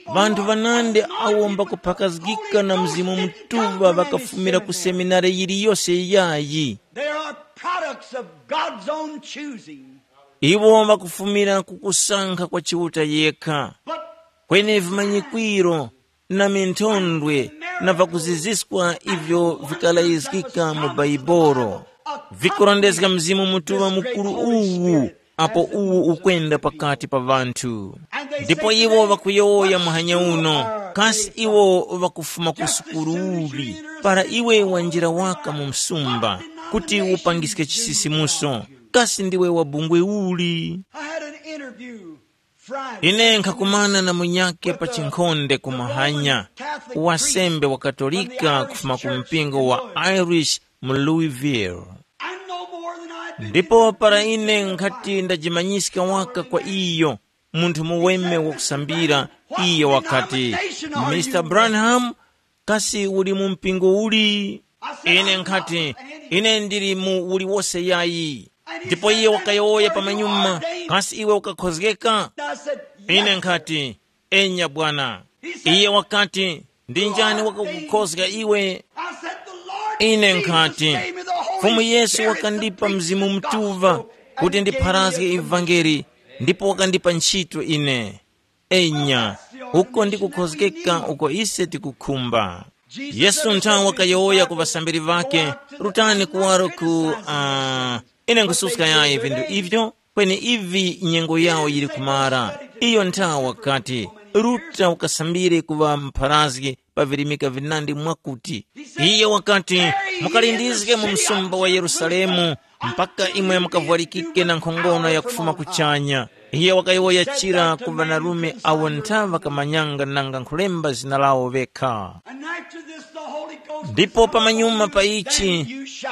Ŵanthu ŵanandi awo mbakuphakazgika na Mzimu Mutuŵa ŵakafumira ku seminari yiliyose yayi. They are products of God's own choosing. Iwo ŵakufumira ku kusankha kwa Chiuta yekha. But kweni vimanyikwiro na minthondwe na vakuziziswa ivyo vikalayizgika mu Baibolo, vikurondezga Mzimu Mutuŵa mukuru uwu, apo uwu ukwenda pakati pa ŵanthu. Ndipo iwo ŵakuyowoya muhanya uno, kasi iwo ŵakufuma ku sukulu uli? Para iwe wanjira waka mu msumba, kuti upangiske chisisimuso, kasi ndiwe wa bungwe uli? I had an interview Friday. Ine nkhakumana na munyakhe pa chinkhonde ku mahanya, wasembe wa Katolika kufuma ku mpingo wa Irish mu Louisville. I know more than I do. Ndipo para ine nkhati ndajimanyiska waka kwa iyo, munthu muweme wakusambira, iyo wakati, Mister Branham, kasi uli mu mpingo uli? Ine nkhati, ine ndili mu uliwose yayi. Ndipo iye wakayowoya pamanyuma, kasi iwe ukakhozgeka? Ine nkhati, enya bwana. Iye wakati, ndi njani wakakukhozga iwe? Ine nkhati, Fumu Yesu wakandipa Mzimu Mutuŵa kuti ndipharazge ivangeli, ndipo wakandipa ntchito ine. Enya, uko ndi kukhozgeka uko ise tikukhumba. Yesu nthawi wakayowoya ku ŵasambiri ŵakhe, rutani kuwaro ku uh, ine nkususka yayi vinthu ivyo, kweni ivi nyengo yawo yili kumara. Iyo nthawi wakati, ruta ukasambire ku ŵampharazgi pa virimika vinandi mwakuti, iye wakati, mukalindizge mu msumba wa Yerusalemu mpaka imwe mukavwalikike na nkhongono ya kufuma kuchanya. Iye wakayowoya chira ku ŵanarume awo ntha ŵakamanyanga nanga nkhulemba zina lawo ŵekha. And after this, the Holy Ghost Ndipo pamanyuma pa ichi,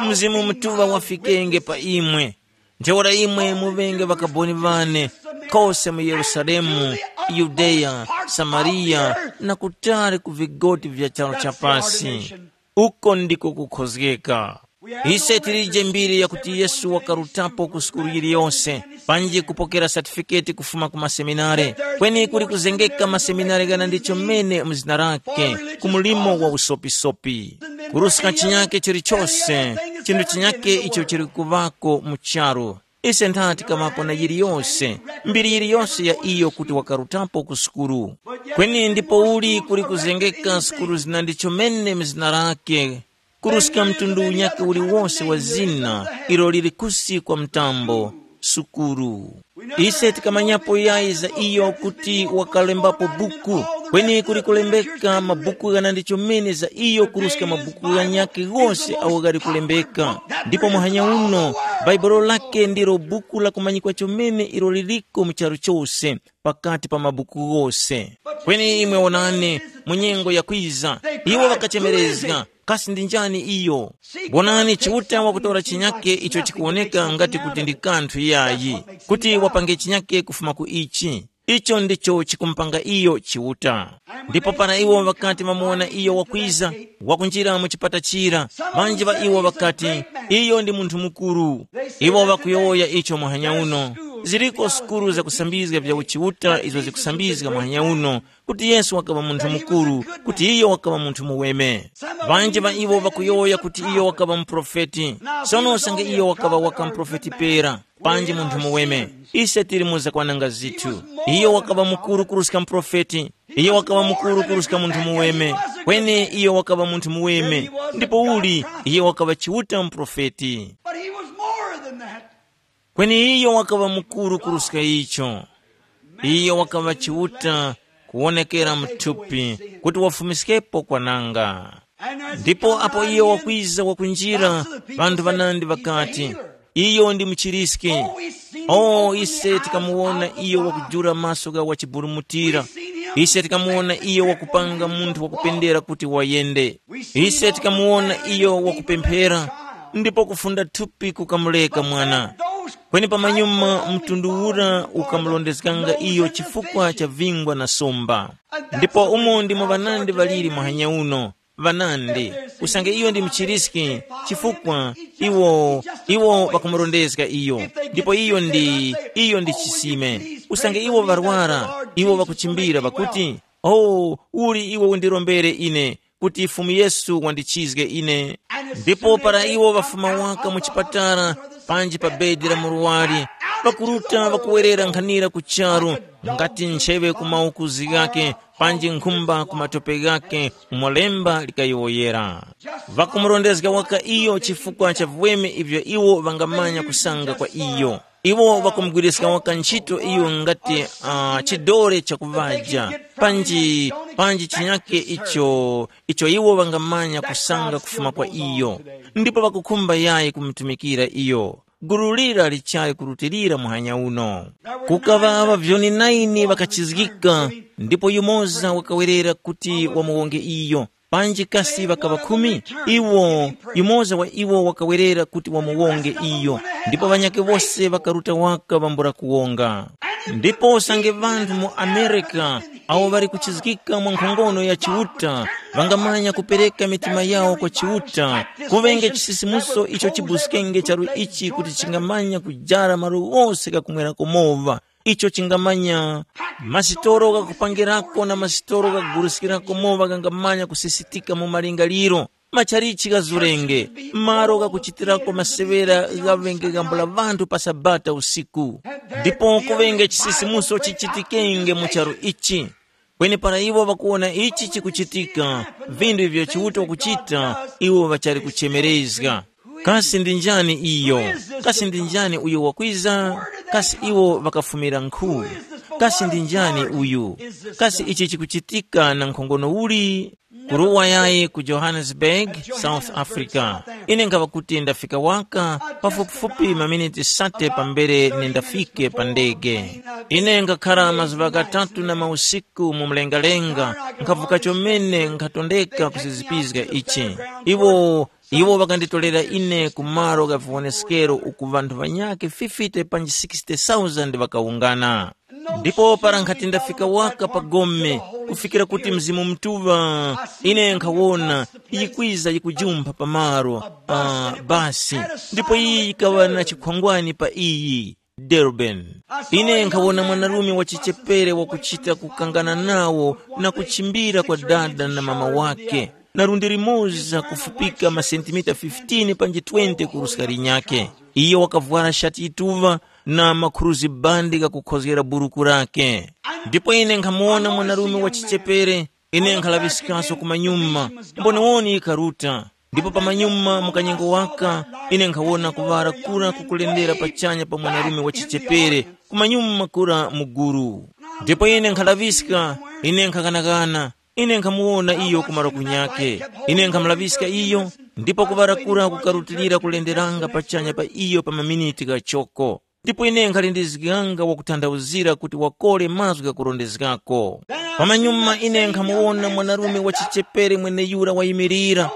Mzimu Mutuŵa wafikenge pa imwe. Ntheura imwe muŵenge ŵakaboni ŵane, kose mu Yerusalemu, Yudeya, Samariya, na kutali ku vigoti vya charu cha pasi. Uko ndiko kukhozgeka. Ise tilije mbiri yakuti Yesu wakarutapo ku sukulu yiliyose, panji kupokera satifiketi kufuma ku maseminare, kweni kuli kuzengeka maseminare ghana ndicho mene mu zina lake, ku mulimo wa usopisopi. Kuruska chinyake chilichose, chinthu chinyake icho chili kuvako mu charu. Ise ntha tikamapo na yiliyose, mbiri yiliyose ya iyo kuti wakarutapo ku sukulu. Kweni ndipouli kuli kuzengeka sukulu zina ndicho mene mu zina lake, kuruska mtundu unyakhe uliwose wa zina ilo lili kusi kwa mtambo, sukulu. Ise tikamanyapo yayi za iyo kuti wakalembapo buku, kweni kuli kulembeka mabuku ghana ndi chomene za iyo kuruska mabuku ghanyakhe ghose agho ghali kulembeka. Ndipo muhanya uno, Bhaibuli lake ndilo buku lakumanyikwa chomene ilo liliko mu charu chose, pakati pa mabuku ghose. Kweni imwe wonani, mu nyengo yakwiza, iwo ŵakachemerezga, kasi ndi njani iyo? Wonani, Chiuta wakutora chinyake icho chikuwoneka ngati kuti ndi kanthu yayi, kuti wapange chinyake kufuma ku ichi. Icho ndicho chikumupanga iyo Chiuta. Ndipo para iwo ŵakati ŵamuwona iyo wakwiza, wakunjira mu chipata chira, ŵanji ŵa iwo ŵakati, iyo ndi munthu mukuru. Iwo ŵakuyowoya icho muhanya uno. Ziriko sukulu zakusambizga vya uchiuta izo zikusambizga muhanya uno, kuti Yesu wakaŵa munthu mukuru, kuti iyo wakaŵa munthu muweme. Ŵanji ŵa iwo ŵakuyowoya kuti iyo wakaŵa muprofeti. Sono usange iyo wakaŵa waka muprofeti pera, panji munthu muweme, ise tili mu zakwananga zithu. Iyo wakaŵa mukuru kuruska muprofeti. Iyo wakaŵa mukuru kuruska munthu muweme. Kweni iyo wakaŵa munthu muweme. Ndipo uli iyo wakaŵa Chiuta muprofeti. But he was more than that. Kweni iyo wakaŵa mukuru kuruska icho. Iyo wakaŵa Chiuta kuwonekera mu thupi, kuti wafumiskepo kwananga. Ndipo apo iyo wakwiza wakunjira, ŵanthu ŵanandi ŵakati, iyo ndi muchiriski. O, ise tikamuwona iyo wakujula maso gha wachiburumutira. Ise tikamuwona iyo wakupanga munthu wakupendera kuti wayende. Ise tikamuwona iyo wakupemphera, ndipo kufunda thupi kukamuleka mwana. Kweni pamanyuma mtundu ura ukamulondezganga iyo chifukwa cha vingwa na somba. Ndipo umo ndimo ŵanandi ŵaliri muhanya uno, ŵanandi, usange iyo ndi muchiriski, chifukwa iwo iwo ŵakumurondezga iyo, ndipo iyo ndi iyo ndi chisime. Usange iwo ŵarwara, iwo ŵakuchimbira ŵakuti, o, uli iwe undirombere ine, kuti Fumu Yesu wandichizge ine. Ndipo para iwo ŵafuma waka mu chipatala, panji pa bedi la murwari, ŵakuruta ŵakuwerera nkhanira ku charu, ngati ncheŵe ku maukuzi ghake, panji nkhumba ku matope ghake, umo lemba likayowoyera. Ŵakumurondezga waka iyo chifukwa cha viweme ivyo iwo ŵangamanya kusanga kwa iyo. Iwo ŵakumugwiriska waka ntchito iyo ngati uh, chidore chakuŵaja, panji panji chinyake icho icho iwo ŵangamanya kusanga kufuma kwa iyo, ndipo ŵakukhumba yayi kumutumikira iyo. Gulu lira lichali kurutilira muhanya uno. Kukaŵa ŵavyoni naini ŵakachizgika, ndipo yumoza wakawerera kuti wamuwonge iyo. Panji kasi ŵakaŵa khumi? Iwo, yumoza wa iwo wakawerera kuti wamuwonge iyo, ndipo ŵanyakhe wose ŵakaruta waka ŵambula kuwonga. Ndipo usange ŵanthu mu Amerika awo ŵali kuchizgika mwa nkhongono ya Chiuta, ŵangamanya kupereka mitima yawo kwa Chiuta, kuŵenge chisisimuso icho chibuskenge charu ichi kuti chingamanya kujara malo ghose ghakumwerako mowa, icho chingamanya masitoro ghakupangirako na masitoro ghakuguliskirako mowa ghangamanya kusisitika mu malingaliro. Machalichi ghazurenge, malo ghakuchitirako masewera ghaŵenge ghambula ŵanthu pa Sabata usiku. Ndipo kuŵenge chisisimuso chichitikenge mu charu ichi. Kweni para iwo ŵakuwona ichi chikuchitika, vinthu ivyo Chiuta wakuchita, iwo ŵachali kuchemerezga. Kasi ndi njani iyo? Kasi ndi njani uyo wakwiza? Kasi iwo ŵakafumira nkhu? Kasi ndi njani uyu? Kasi ichi chikuchitika na nkhongono uli? Kuruwa yayi ku Johannesburg, South Africa. Ine nkhaŵa kuti ndafika waka pafupifupi maminiti sate pambere nindafike pa ndege. Ine ngakhara mazuŵa ghatatu na mausiku mu mlengalenga, nkhavuka chomene nkhatondeka kusizipizga ichi. Iwo iwo ŵakanditorera ine ku malo gha viwoneskero uku ŵanthu ŵanyakhe fifty panji sixty thousand ŵakawungana. Ndipo para nkhati ndafika waka pa gome, kufikira kuti Mzimu Mutuŵa, ine nkhawona yikwiza yikujumpha pa malo, uh, basi, ndipo iyi yikaŵa na chikhwangwani pa iyi, Durban. Ine nkhawona mwanarume wa chichepere wakuchita kukangana nawo na kuchimbira kwa dada na mama wake, na lundi limoza kufupika masentimita fifteen panji twenty kuruska linyakhe. Iyo wakavwara shati yituŵa na makhuruzi bandi ghakukhozgera buruku lake. Ndipo ine nkhamuwona mwanarume wa chichepere, ine nkhalaŵiskaso kumanyuma, mboniwoni yikaruta. Ndipo pamanyuma mu kanyengo waka, ine nkhawona kuŵala kura kukulendera pachanya pa mwanarume wa chichepere, kumanyuma kura muguru. Ndipo ine nkhalaŵiska, ine nkhaghanaghana, ine nkhamuwona iyo ku malo kunyakhe. Ine nkhamulaŵiska iyo, ndipo kuŵala kura kukarutilira kulenderanga pachanya pa iyo pa maminiti ghachoko. Ndipo ine nkhalindizganga wakutanthauzira kuti wakole mazgu ghakurondezgako. Pamanyuma ine nkhamuwona mwanarume wa chichepere mweneyura wayimirira,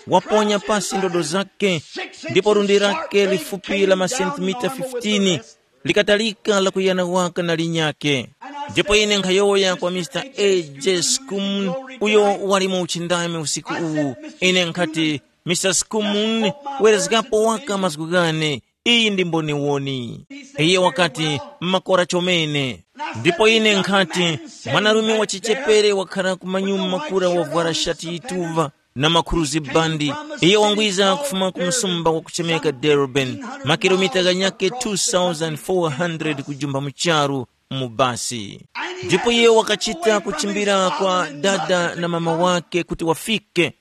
waponya pasi ndodo zake, ndipo lundi lake lifupi la masentimita fifteen likatalika lakuyana waka na linyakhe. Ndipo ine nkhayowoya kwa Mr. A J Skumun, uyo wali mu uchindami usiku uwu. Ine nkhati, Mr. Skumun, werezgapo waka mazgu ghane. Iyi ndi mboniwoni. Iye wakati, makora chomene. Ndipo ine nkhati, mwanarume wa chichepere wakhala kumanyuma kura wavwara shati yituŵa na makhuruzi bandi. Iye wangwiza kufuma ku msumba wakuchemeka Durban, makilomita ghanyakhe two thousand four hundred kujumba mu charu mu basi. Ndipo iye wakachita kuchimbira kwa dada na mama wake kuti wafike.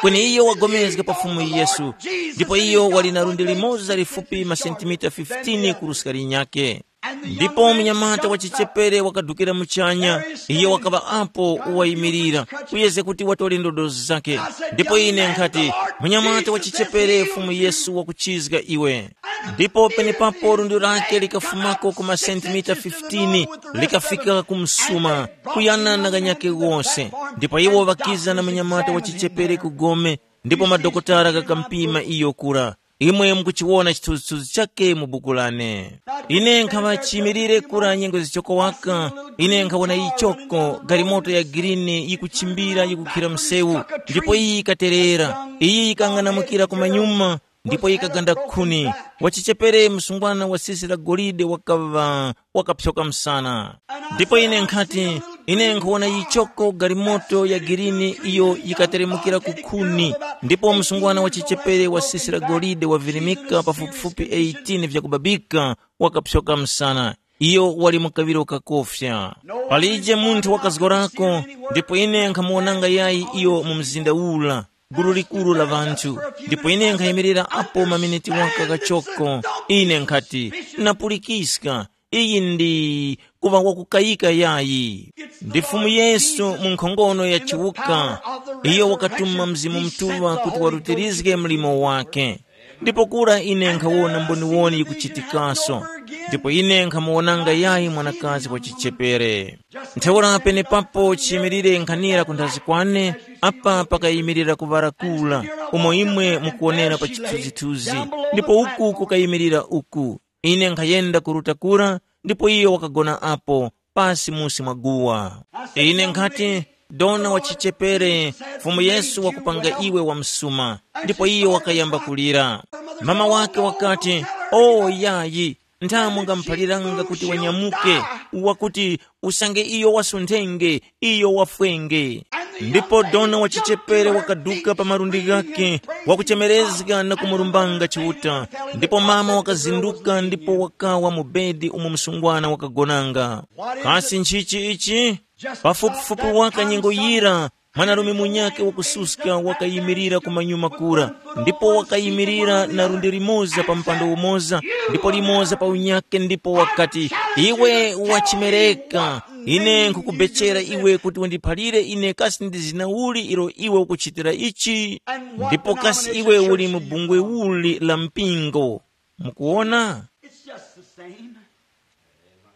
Kweni iyo wagomezga pa Fumu Yesu, ndipo iyo wali na lundi limoza lifupi masentimita fifteen kuruska linyakhe. Ndipo munyamata wa chichepere wakadukira muchanya, iyo wakaŵa apo wayimirira, kuyezga kuti watole ndodo zake. Ndipo ine nkhati, munyamata wa chichepere, Fumu Yesu wakuchizga iwe. Ndipo penepapo lundi lake likafumako ku masentimita fifteen, likafika ku msuma, kuyana na ghanyakhe ghose. Ndipo iwo ŵakiza na munyamata wa chichepere ku gome, ndipo madokotala ghakampima iyo kura. Imwe mukuchiwona chithunzithunzi chakhe mu buku lane. Ine nkhaŵa chiyimilire kura nyengo zichoko waka, ine nkhawona yichoko, galimoto ya girini yikuchimbira yikukhira msewu, ndipo iyi yikaterera. Iyi yikang'anamukira kumanyuma, ndipo yikaganda khuni. Wachichepere msungwana wa sisi la golide wakaŵa wakapsoka msana. Ndipo ine nkhati, ine nkhuwona yichoko galimoto ya girini iyo yikateremukira ku khuni, ndipo msungwana wa chichepere wa sisi la golide wavirimika pafupifupi eighteen vyakubabika, wakapsoka msana. Iyo wali mu kaŵiro kakofya. Palije munthu wakazgorako, ndipo ine nkhamuwonanga yayi iyo mu mzinda ura, gulu likuru la ŵanthu. Ndipo ine nkhayimirira apo maminiti waka kachoko. Ine nkhati, napulikiska, iyi ndi kuŵa wakukayika yayi. Ndi Fumu Yesu mu nkhongono ya chiwuka, iyo wakatuma Mzimu Mutuŵa kuti warutirizge mlimo wake. Ndipo kura ine nkhawona mboniwoni yikuchitikaso, ndipo ine nkhamuwonanga yayi mwanakazi wa chichepere. Ntheura penepapo chiyimilire nkhanira kunthazi kwane, apa pakayimirira kuŵala kura, umo imwe mukuwonera pa chithunzithunzi, ndipo uku kukayimirira uku. Ine nkhayenda kuruta kura, ndipo iyo wakagona apo, pasi musi mwa guwa. Ine nkhati, dona wa chichepere, Fumu Yesu wakupanga iwe wamsuma. Ndipo iyo wakayamba kulira. Mama wake wakati, o yayi, ntha mungamuphaliranga kuti wanyamuke, wakuti usange iyo wasunthenge, iyo wafwenge. Ndipo dona wa chichepere wakaduka pa malundi ghake, wakuchemerezga na kumurumbanga Chiuta. Ndipo mama wakazinduka ndipo wakawa mu bedi umo msungwana wakagonanga. Kasi nchichi ichi? Pafupifupi waka nyengo yira, mwanarume munyakhe wakususka wakayimirira kumanyuma kura, ndipo wakayimirira na lundi limoza pa mpando umoza, ndipo limoza pa unyakhe, ndipo wakati, iwe wachimereka, Ine nkukubechera iwe kuti undiphalire ine kasi ndi zina uli ilo iwe ukuchitira ichi, ndipo kasi iwe uli mu bungwe uli la mpingo. Mukuona? It's just the same.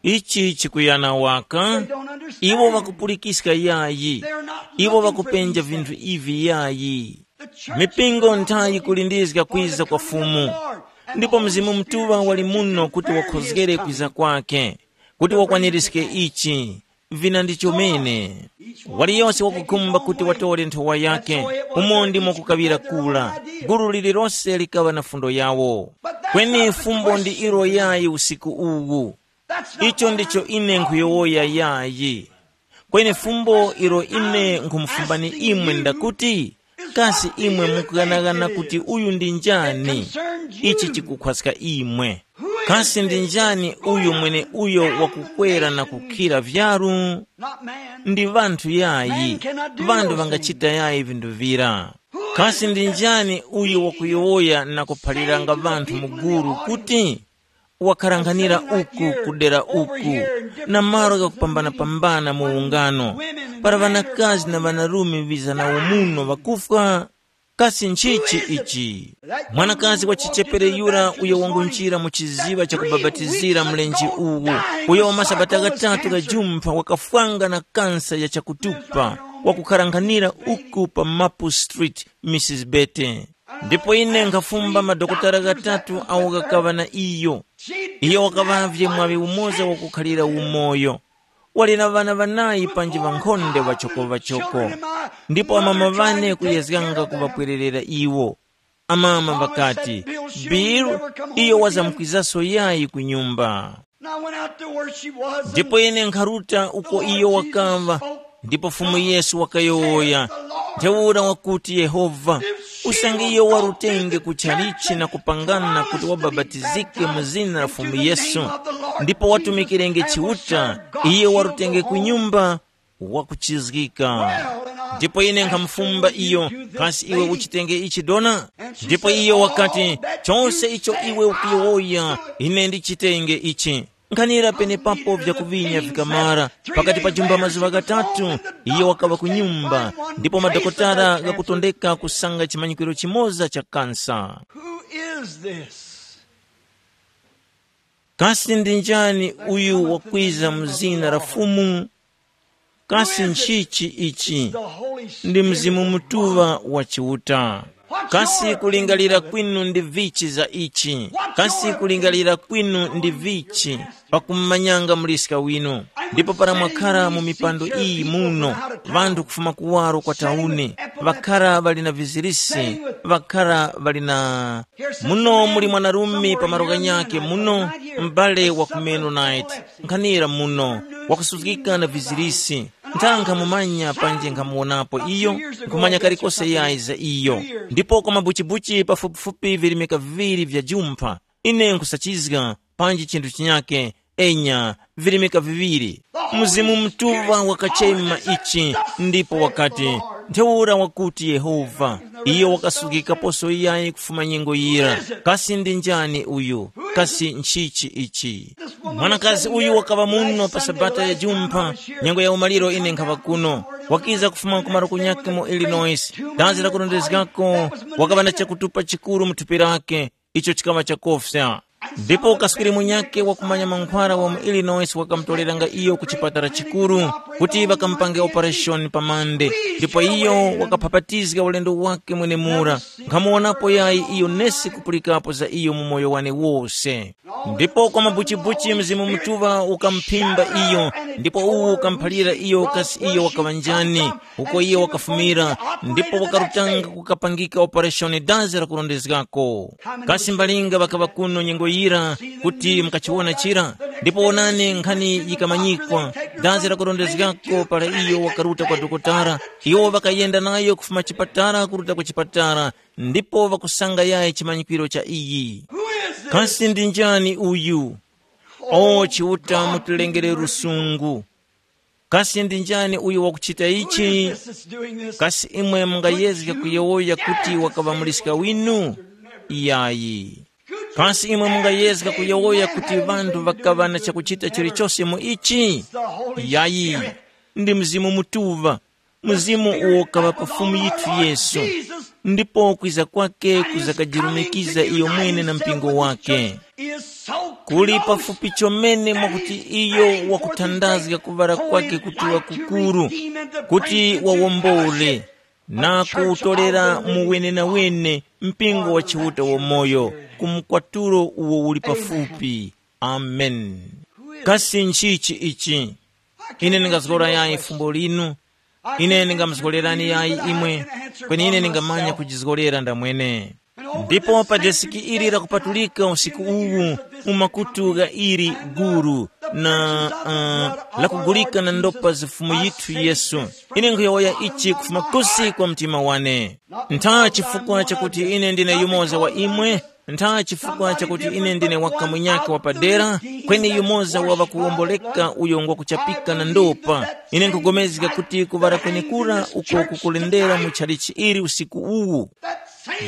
Ichi chikuyana waka. Iwo vakupulikiska yayi. Iwo vakupenja vinthu ivi yayi. Mipingo nthayi kulindizga kwiza kwa Fumu, ndipo Mzimu Mutuŵa wali muno kuti wakhozgere kwiza kwake, kuti wakwanirizge ichi. Vina ndi chomene. Waliyose wakukhumba kuti watore nthowa yake, umo ndimo kukaŵira kula. Gulu lililose likaŵa na fundo yawo. Kweni fumbo ndi ilo yayi usiku uwu. Icho ndicho ine nkhuyowoya yayi. Kweni fumbo ilo ine nkhumufumbani imwe ndakuti, kasi imwe mukughanaghana kuti uyu ndi njani? Ichi chikukhwaska imwe. Kasi ndi njani uyu mweneuyo wakukwera na kukhira vyaru? Ndi ŵanthu yayi. Ŵanthu ŵangachita yayi vinthu vira. Kasi ndi njani uyo wakuyowoya na kuphaliranga ŵanthu mu gulu kuti, wakharanghanira uku kudera uku, na malo ghakupambana-pambana mu ungano, para ŵanakazi na ŵanarume ŵiza nawo muno ŵakufwa? Kasi nchichi ichi? Mwanakazi wa chichepere yura uyo wangunjira mu chiziŵa chakubapatizira mlenje uwu, uyo wa masabata ghatatu ghajumpha wakafwanga na kansa ya chakutupa, wakukharanghanira uku pa Maple Street, Missus Bete. Ndipo ine nkhafumba madokotala ghatatu awo ghakaŵa na iyo. Iyo wakaŵavye mwaŵi umoza wakukhalira umoyo. Wali na ŵana ŵanayi panji ŵankhonde ŵachokoŵachoko. Ndipo amama ŵane kuyezganga kuŵapwererera iwo. Amama ŵakati, Bill, iyo wazamkwizaso yayi ku nyumba. Ndipo ine nkharuta uko iyo wakaŵa, ndipo Fumu Yesu wakayowoya, ntheura wakuti Yehova, usange iyo warutenge ku chalichi na kupangana kuti wabapatizike mu zina la Fumu Yesu, ndipo watumikirenge Chiuta, iyo warutenge ku nyumba, wakuchizgika. Ndipo ine nkhamufumba iyo, kasi iwe uchitenge ichi dona? Ndipo iyo wakati, chose icho iwe ukuyowoya, ine ndichitenge ichi. Nkhanira penepapo vyakuŵinya vikamara, pakati pa jumba mazuŵa ghatatu, iyo wakaŵa ku nyumba, ndipo madokotala ghakutondeka kusanga chimanyikiro chimoza cha kansa. Who is this? Kasi ndi njani uyu wakwiza mu zina la Fumu? Kasi nchichi ichi? Ndi Mzimu Mutuŵa wa Chiuta. Kasi kulingalira kwinu ndi vichi za ichi? Kasi kulingalira kwinu ndi vichi? Pakumumanyanga muliska winu. Ndipo para mwakhara mu mipando iyi muno, ŵanthu kufuma kuwaro kwa tauni, ŵakhara ŵali na vizirisi, ŵakhara ŵali na muno muli mwanarume pa malo ghanyakhe muno, m'bale wa ku Mennonite, nkhanira muno, wakusuzgika na vizirisi. Ntha nkhamumanya panji nkhamuwonapo iyo, nkhumanya kalikose yayi za iyo. Ndipo kwa mabuchibuchi pafupifupi virimika viŵiri vya jumpha, ine nkhusachizga, panji chinthu chinyakhe, enya, virimika viŵiri. Mzimu Mutuŵa wakachema ichi, ndipo wakati, ntheura wakuti Yehova, iyo wakasukikaposo yayi kufuma nyengo yira. Kasi ndi njani uyu? Kasi nchichi ichi? Mwanakazi uyu wakaŵa muno pa sabata ya jumpha, nyengo ya umaliro ine nkhaŵa kuno. Wakiza kufuma ku malo kunyakhe mu Illinois. Dazi lakurondezgako, wakaŵa na chakutupa chikuru mu thupi lake, icho chikaŵa chakofya. Ndipo kaswiri munyakhe wakumanya mankhwara wa mu Illinois wakamutoreranga iyo ku chipatala chikuru, kuti ŵakamupange operation pa Mande. Ndipo iyo wakaphapatizga ulendo wake mwenemura. Nkhamuwonapo yayi iyo nesi kupulikapo za iyo mu moyo wane wose. Ndipo kwa mabuchibuchi Mzimu Mutuŵa ukamuphimba iyo, ndipo uwu ukamuphalira iyo kasi iyo wakaŵa njani, uko iyo wakafumira, ndipo wakarutanga kukapangika operation dazi lakurondezgako. Kasi mbalinga ŵakaŵa kuno nyengo yira kuti mukachiwona chira? Ndipo wonani nkhani yikamanyikwa, dazi lakurondezgako para iyo wakaruta kwa dokotala, iwo ŵakayenda nayo kufuma chipatala kuruta ku chipatala, ndipo ŵakusanga yayi chimanyikiro cha iyi. Kasi ndi njani uyu? O Chiuta, mutilengere lusungu. Kasi ndi njani uyo wakuchita ichi? Kasi imwe mungayezge kuyowoya kuti wakaŵa muliska winu? Iyayi. Kasi imwe mungayezga kuyowoya kuti ŵanthu ŵakaŵa na chakuchita chilichose mu ichi? Yayi, ndi Mzimu Mutuŵa, Mzimu uwo kaŵa pa Fumu yithu Yesu, ndipo kwiza kwake kuzakajirumikiza iyo mwene na mpingo wake. Kuli pafupi chomene mwakuti iyo wakuthandazga kuŵala kwake kuti wakukuru, kuti wawombole, na kuwutolera mu wenenawene mpingo wa Chiuta wamoyo ku mkwatulo uwo uli pafupi. Amen. Kasi nchichi ichi? Ine ndingazgora yayi fumbo linu. Ine ndingamuzgolerani yayi imwe, kweni ine ndingamanya kujizgorera ndamwene. Ndipo pa desiki ili lakupatulika usiku uwu, mu makutu gha ili guru na uh, lakugulika na ndopa za Fumu yithu Yesu, ine nkhuyowoya ichi kufuma kusi kwa mtima wane. Ntha chifukwa chakuti ine ndine yumoza wa imwe, ntha chifukwa chakuti ine ndine waka munyakhe wapadera, kweni yumoza wa ŵakuwomboleka uyo ngwakuchapika na ndopa. Ine nkugomezga kuti kuŵala kwenekura uko kukulendera mu chalichi ili usiku uwu,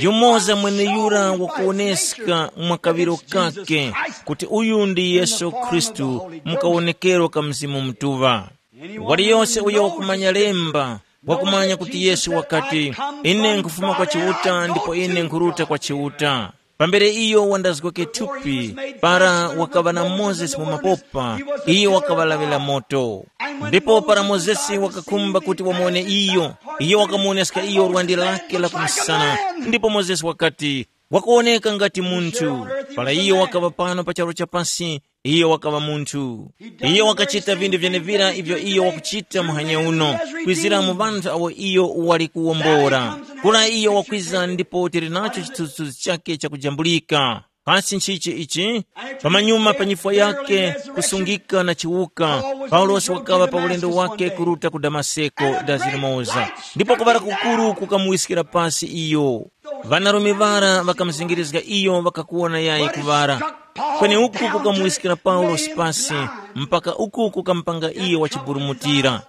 yumoza mweneyura wakuwoneska mwa kaŵiro kake kuti uyu ndi Yesu Khristu mu kawonekero ka Mzimu Mutuŵa. Waliyose uyo wakumanya lemba, wakumanya kuti Yesu wakati, ine nkufuma kwa Chiuta ndipo ine nkhuruta kwa Chiuta. Pambere iyo wandazgweke thupi, para wakaŵa na Mozesi mu mapopa, iyo wakaŵalaŵira moto. Ndipo para Mozesi wakakhumba kuti wamuwone iyo, iyo wakamuwoneska iyo lwandi lake la kumusana. Ndipo Mozesi wakati, wakuwoneka ngati munthu. Para iyo wakaŵa pano pa charu cha pasi, iyo wakaŵa munthu. Iyo wakachita vintu vyenevira ivyo iyo wakuchita muhanya uno, kwizira mu ŵanthu awo iyo wali kuwombora. Kura iyo wakwiza ndipo tili nacho chithunzithunzi chake chakujambulika. Kasi nchichi ichi? Pamanyuma pa nyifwa yake, kusungika na chiwuka, Paulosi wakaŵa pa ulendo wake kuruta ku Damaseko dazi limoza, ndipo kuŵala kukuru kukamuwiskira pasi iyo. Ŵanarume ŵara ŵakamuzingirizga iyo ŵakakuwona yayi kuŵala. Kweni uku kukamuwiskira Paulosi pasi, mpaka uku kukamupanga iyo wachiburumutira.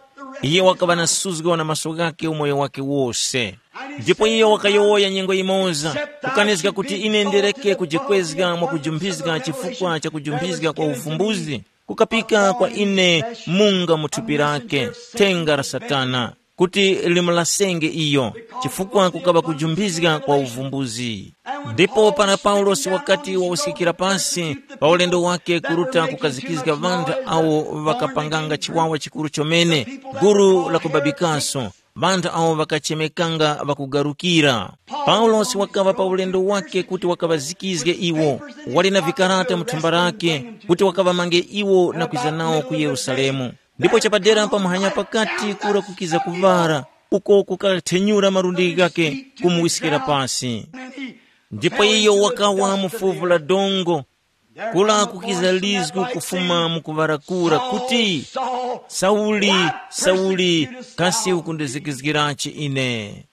Iye wakaŵa na suzgo na maso ghakhe umoyo wakhe wose. Ndipo iye wakayowoya nyengo yimoza, kukanizga kuti ine ndireke kujikwezga mwakujumphiska chifukwa cha kujumphiska kwa uvumbuzi, kukapika kwa ine munga mu thupi lake, thenga la Satana, kuti limulasenge iyo, chifukwa kukaŵa kujumphiska kwa uvumbuzi. Ndipo para Paulosi wakati wawuskikira pasi pa ulendo wake kuruta kukazikizga ŵanthu awo ŵakapanganga chiwawa chikuru chomene, gulu la kubabikaso, ŵanthu awo ŵakachemekanga ŵakugarukira. Paulosi wakaŵa pa ulendo wake kuti wakaŵazikizge iwo, wali na vikarata mu thumba lake, kuti wakaŵamange iwo na kwiza nawo ku Yerusalemu. Ndipo chapadera pa muhanya pakati kura kukiza kuvara, uko kukathenyura malundi ghake kumuwiskira pasi. Ndipo iyo wakawa mu fuvu la dongo, kula kukiza lizgu kufuma mu kuŵarakura kuti, "Sauli, Sauli, kasi ukundizikizgirachi ine?"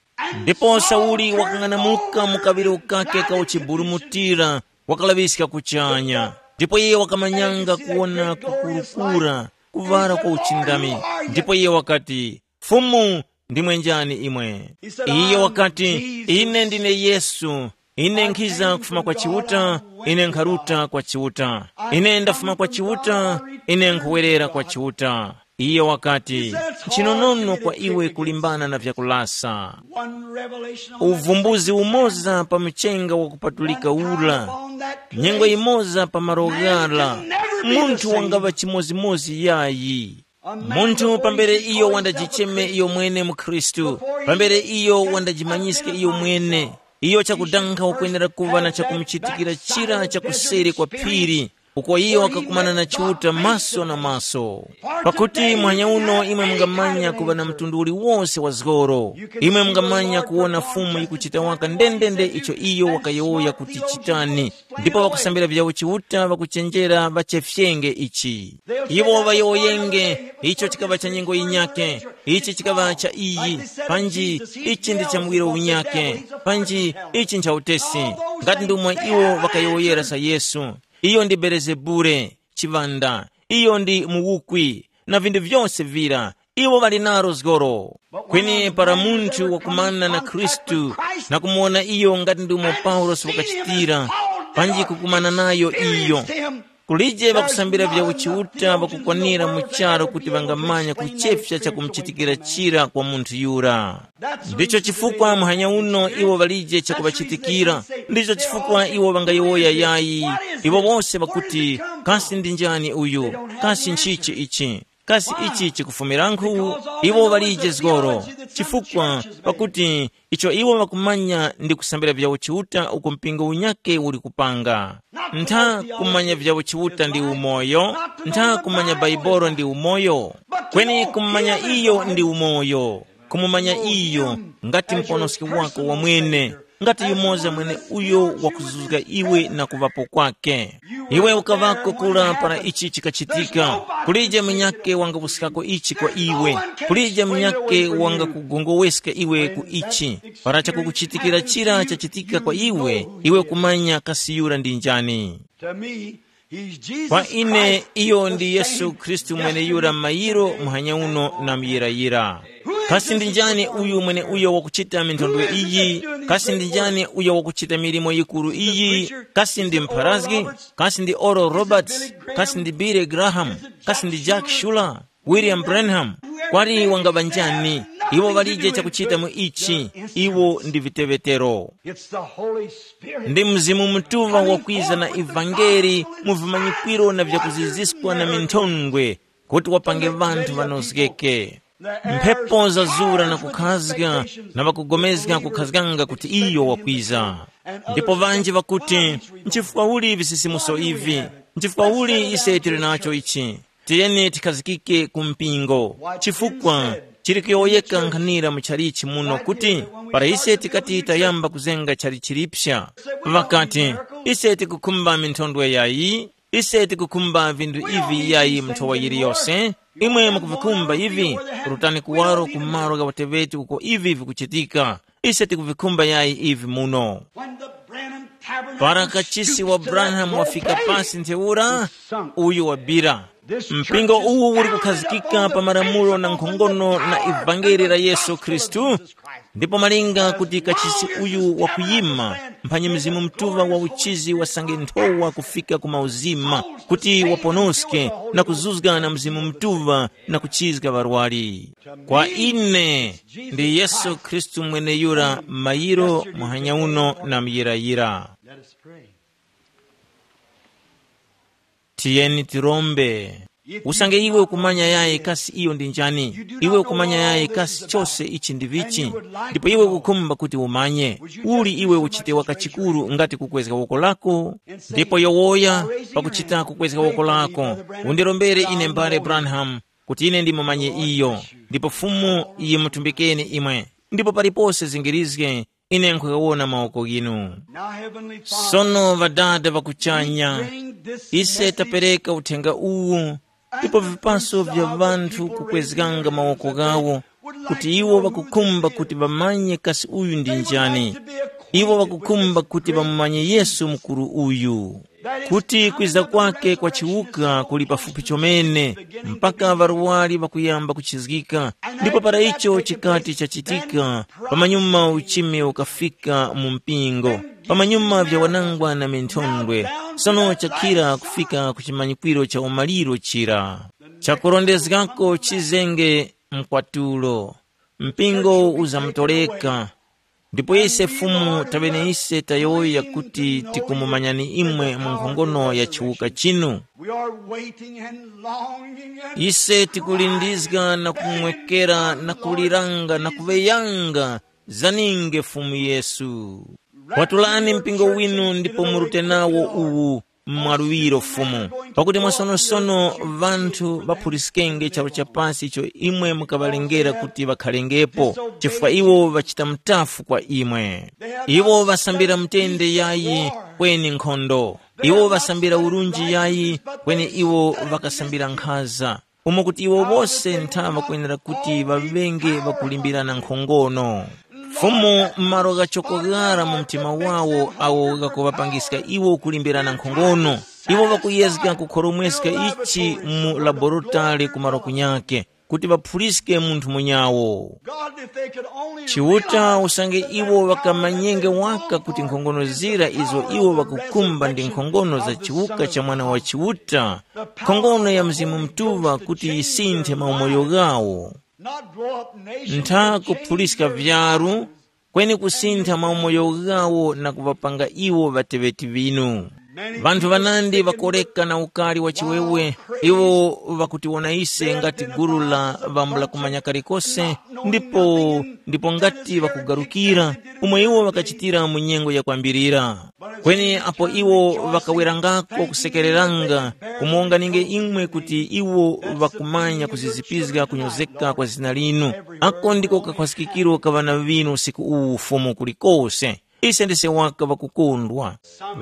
Ndipo Sauli wakang'anamuka mu kaŵiro kake ka uchiburumutira, wakalaŵiska kuchanya. Ndipo iye wakamanyanga kuwona kukurukura, kuŵala kwa uchindami. Ndipo iye wakati, "Fumu, ndimwe njani imwe?" Iye wakati, "Ine ndine Yesu, ine nkhiza kufuma kwa Chiuta, ine nkharuta kwa Chiuta. Ine ndafuma kwa Chiuta, ine nkhuwerera kwa Chiuta." Iye wakati, "Nchinonono kwa iwe kulimbana na vyakulasa." Uvumbuzi umoza pa mchenga wakupatulika ura, nyengo imoza pa malo ghara, munthu wangaŵa chimozimozi yayi. Munthu pambere iyo wandajicheme iyo mwene mu Khristu, pambere iyo wandajimanyiske iyo mwene, iyo chakudankha wakwenera kuŵa na chakumuchitikira chira cha kuseri kwa phiri, uko iyo wakakumana na Chiuta maso na maso. Pakuti mwanya uno imwe mungamanya kuŵa na mtundu uliwonse wa zgoro, imwe mungamanya kuwona Fumu yikuchita waka ndendende icho iyo wakayowoya kuti chitani, ndipo ŵakusambira vyawo Chiuta ŵakuchenjera ŵachefyenge ichi. Iwo ŵayowoyenge, icho chikaŵa cha nyengo yinyakhe, ichi chikaŵa cha iyi, panji ichi ndi cha muwiro unyakhe, panji ichi ncha utesi, ngati ndomwe iwo ŵakayowoyera za Yesu. Iyo ndi Belezebule, chiŵanda, iyo ndi muwukwi, na vinthu vyose vira, iwo ŵali naro zgoro. Kweni para munthu wakumana na Khristu na kumuwona iyo ngati ndi umo Paulosi wakachitira, panji kukumana nayo iyo. Kulije ŵakusambira vya uchiuta ŵakukwanira mu charu kuti ŵangamanya kuchefya chakumuchitikira chira kwa munthu yura. Ndicho chifukwa muhanya uno iwo ŵalije chakuŵachitikira. Ndicho chifukwa iwo ŵangayowoya yayi. Iwo wose ŵakuti, kasi ndi njani uyu? Kasi nchichi ichi? Kasi ichi chikufumirankhu? Iwo ŵalije zgoro. Chifukwa pakuti icho iwo ŵakumanya ndi kusambira vya uchiuta uko mpingo unyakhe uli kupanga. Ntha kumanya vya uchiuta ndi umoyo. Ntha kumanya Baibolo ndi umoyo. Kweni kumanya iyo ndi umoyo. Kumumanya iyo ngati muponoski wako wamwene, ngati yumoza mwene uyo wakuzuzga iwe na kuŵapo kwake. Iwe ukaŵako kura para ichi chikachitika. Kulije munyakhe wangapuskako ichi kwa iwe. Kulije munyakhe wangakugongoweska iwe ku ichi. Para chakukuchitikira chira chachitika kwa iwe, iwe kumanya kasi yura ndi njani. To me, he's Jesus kwa ine Christ, iyo the ndi yesu same khristu mwene yura yesterday, mayiro today, muhanya uno na muyirayira. Kasi ndi njani uyu mwene uyo wakuchita minthondwe iyi? Kasi ndi njani uyo wakuchita milimo yikuru iyi? Kasi ndi mpharazgi? Kasi ndi oro roberts? Kasi ndi billy graham? Kasi ndi jack shuler? William Branham, kwali wangaŵa njani? Iwo ŵalije chakuchita mu ichi. Iwo ndi viteŵetero. It's the Holy Spirit. Ndi Mzimu Mutuŵa wakwiza na ivangeli mu vimanyikwiro na vyakuziziskwa na minthondwe, kuti wapange ŵanthu ŵanozgeke. Mphepo zazura na kukhazga, na ŵakugomezga kukhazganga kuti iyo wakwiza. Ndipo ŵanji ŵakuti, nchifukwa uli visisimuso ivi? Nchifukwa uli ise tili nacho ichi? Tiyeni tikhazikike ku mpingo, chifukwa chili kuyowoyeka nkhanira mu chalichi muno kuti para ise tikati tayamba kuzenga chali chilipsa, ŵakati, ise tikukhumba minthondwe yayi, ise tikukhumba vinthu ivi yayi mu nthowa yiliyose. Imwe mukuvikhumba ivi, rutani kuwaro ku malo gha uteŵeti uko ivi vikuchitika. Ise tikuvikhumba yayi ivi muno. Para kachisi wa Branham wafika pasi ntheura, uyu wabira. Mpingo uwu uli kukhazikika pa malamulo na nkhongono na ivangeli la Yesu Khristu. Ndipo malinga kuti kachisi uyu wakuyima mphanyi Mzimu Mutuŵa wa uchizi wasange nthowa kufika ku mauzima, kuti waponoske na kuzuzga na Mzimu Mutuŵa na kuchizga ŵarwari. Kwa ine, ndi Yesu Khristu mweneyura mayiro muhanya uno na muyirayira. Let us pray. Tiyeni tirombe. Usange iwe ukumanya yayi kasi iyo ndi njani, iwe ukumanya yayi kasi chose ichi ndi vichi, ndipo iwe ukukhumba kuti umanye, uli iwe uchite waka chikuru ngati kukwezga woko lako? Ndipo yowoya, pakuchita kukwezga woko lako, undirombere ine mbale Branham, kuti ine ndimumanye iyo, ndipo Fumu yimutumbikeni imwe, ndipo palipose zingirizge ine nkhugawona mawoko ghinu. Now, Heavenly Father, sono Ŵadada ŵa kuchanya, ise tapereka uthenga uwu, ndipo vipaso vya ŵanthu kukwezganga mawoko ghawo, kuti iwo ŵakukhumba kuti ŵamanye kasi uyu ndi njani. Iwo ŵakukhumba kuti ŵamumanye Yesu mukuru uyu, kuti kwiza kwake kwa chiwuka kuli pafupi chomene, mpaka ŵarwari ŵakuyamba kuchizgika. Ndipo para icho chikati chachitika, pamanyuma uchimi ukafika mu mpingo, pamanyuma vya wanangwa na minthondwe, sono chakhira kufika ku chimanyikwiro cha umaliro chira. Chakurondezgako chizenge mkwatulo, mpingo uzamutoleka. Ndipo ise Fumu taŵene ise tayowoya kuti tikumumanyani imwe mu nkhongono ya chiwuka chinu. We are waiting and longing and ise tikulindizga na kumwekera na kuliranga na kuŵeyanga zaninge Fumu Yesu. Kwatulani mpingo winu ndipo murute nawo uwu mwaluŵiro Fumu, pakuti mwasonosono ŵanthu ŵaphuliskenge charu cha pasi icho imwe mukaŵalengera kuti ŵakhalengepo, chifukwa iwo ŵachita mutafu kwa imwe. Iwo ŵasambira mutende yayi kweni nkhondo. Iwo ŵasambira urunji yayi kweni iwo ŵakasambira nkhaza. Umo kuti iwo wose ntha ŵakwenera kuti ŵaŵenge ŵakulimbirana nkhongono. Fumu m'malo ghachoko ghara mu mtima wawo awo ghakuŵapangiska iwo kulimbirana nkhongono. Iwo ŵakuyezga kukhoromweska ichi mu laborotale ku malo kunyakhe. kuti ŵaphuliske munthu munyawo. God, if they could only Chiuta realize usange that iwo their ŵakamanyenge power is waka kuti nkhongono zira izo iwo ŵakukhumba ndi nkhongono za chiwuka cha Mwana wa Chiuta, nkhongono ya Mzimu Mutuŵa kuti yisinthe maumoyo ghawo. Not grow up nations ntha and change kuphuliska their vyaru, kweni kusintha maumoyo ghawo na kuŵapanga iwo ŵateŵeti ŵinu. Vanthu ŵanandi ŵakoreka na ukari wa chiwewe, iwo ŵakutiwona ise ngati gulu la ŵambula kumanya kalikose, ndipo ndipo ngati ŵakugarukira, umo iwo ŵakachitira mu nyengo yakwambirira. Kweni apo iwo ŵakawerangako kusekereranga, kumuwonganinge imwe kuti iwo ŵakumanya kuzizipizga kunyozeka kwa zina linu. Ako ndiko kakhwasikikiro ka ŵana ŵinu usiku uwu Fumu kulikose. Ise ndise waka ŵakukondwa.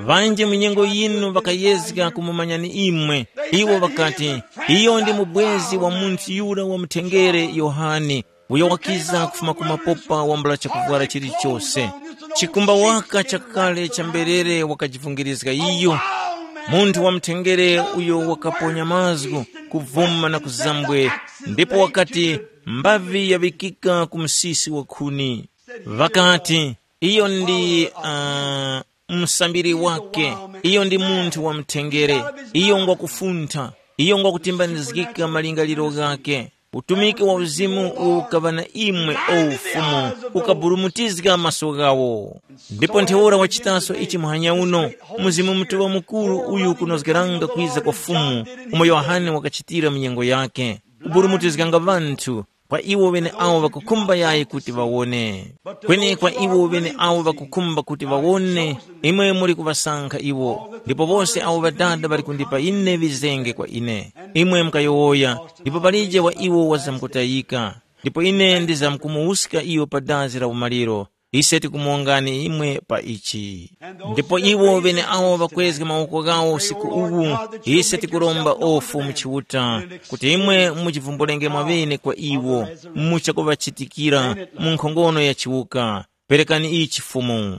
Ŵanji mu nyengo yinu ŵakayezga kumumanyani imwe. Iwo ŵakati, iyo ndi mubwezi wa munthu yura wa mutengere Yohane, uyo wakiza kufuma ku mapopa wambula chakuvwara chilichose. Chikumba waka chakale cha mberere wakajivungirizga iyo. Munthu wa mutengere uyo wakaponya mazgu, kuvuma na kuzambwe, ndipo wakati, mbavi yaŵikika ku msisi wa khuni. Ŵakati, iyo ndi uh, msambiri wake, iyo ndi munthu wa mutengere, iyo ngwakufuntha, iyo ngwakutimbanizgika malingaliro ghake. Utumiki wa uzimu uwo ukaŵa na imwe o ufumu, ukaburumutizga maso ghawo. Ndipo ntheura wachitaso ichi muhanya uno, Mzimu Mutuŵa Mukuru uyu kunozgeranga kwiza kwa Fumu, umo Yohane wakachitira mu nyengo yake, kuburumutizganga ŵanthu, kwa iwo ŵeneawo ŵakukhumba yayi kuti ŵawone. Kweni kwa iwo ŵeneawo ŵakukhumba kuti ŵawone, imwe muli kuŵasankha iwo, ndipo wose awo Ŵadada ŵali kundipa ine ŵizenge kwa ine. Imwe mukayowoya, ndipo palije wa iwo wazamkutayika, ndipo ine ndizamkumuwuska iyo pa dazi la umaliro. Ise tikumuwongani imwe pa ichi. Ndipo iwo ŵeneawo ŵakwezga mawoko ghawo usiku uwu, ise tikuromba ofu mu Chiuta, kuti imwe muchivumbulenge mwaŵene kwa iwo, muchakuŵachitikira mu nkhongono ya chiwuka. Perekani ichi Fumu.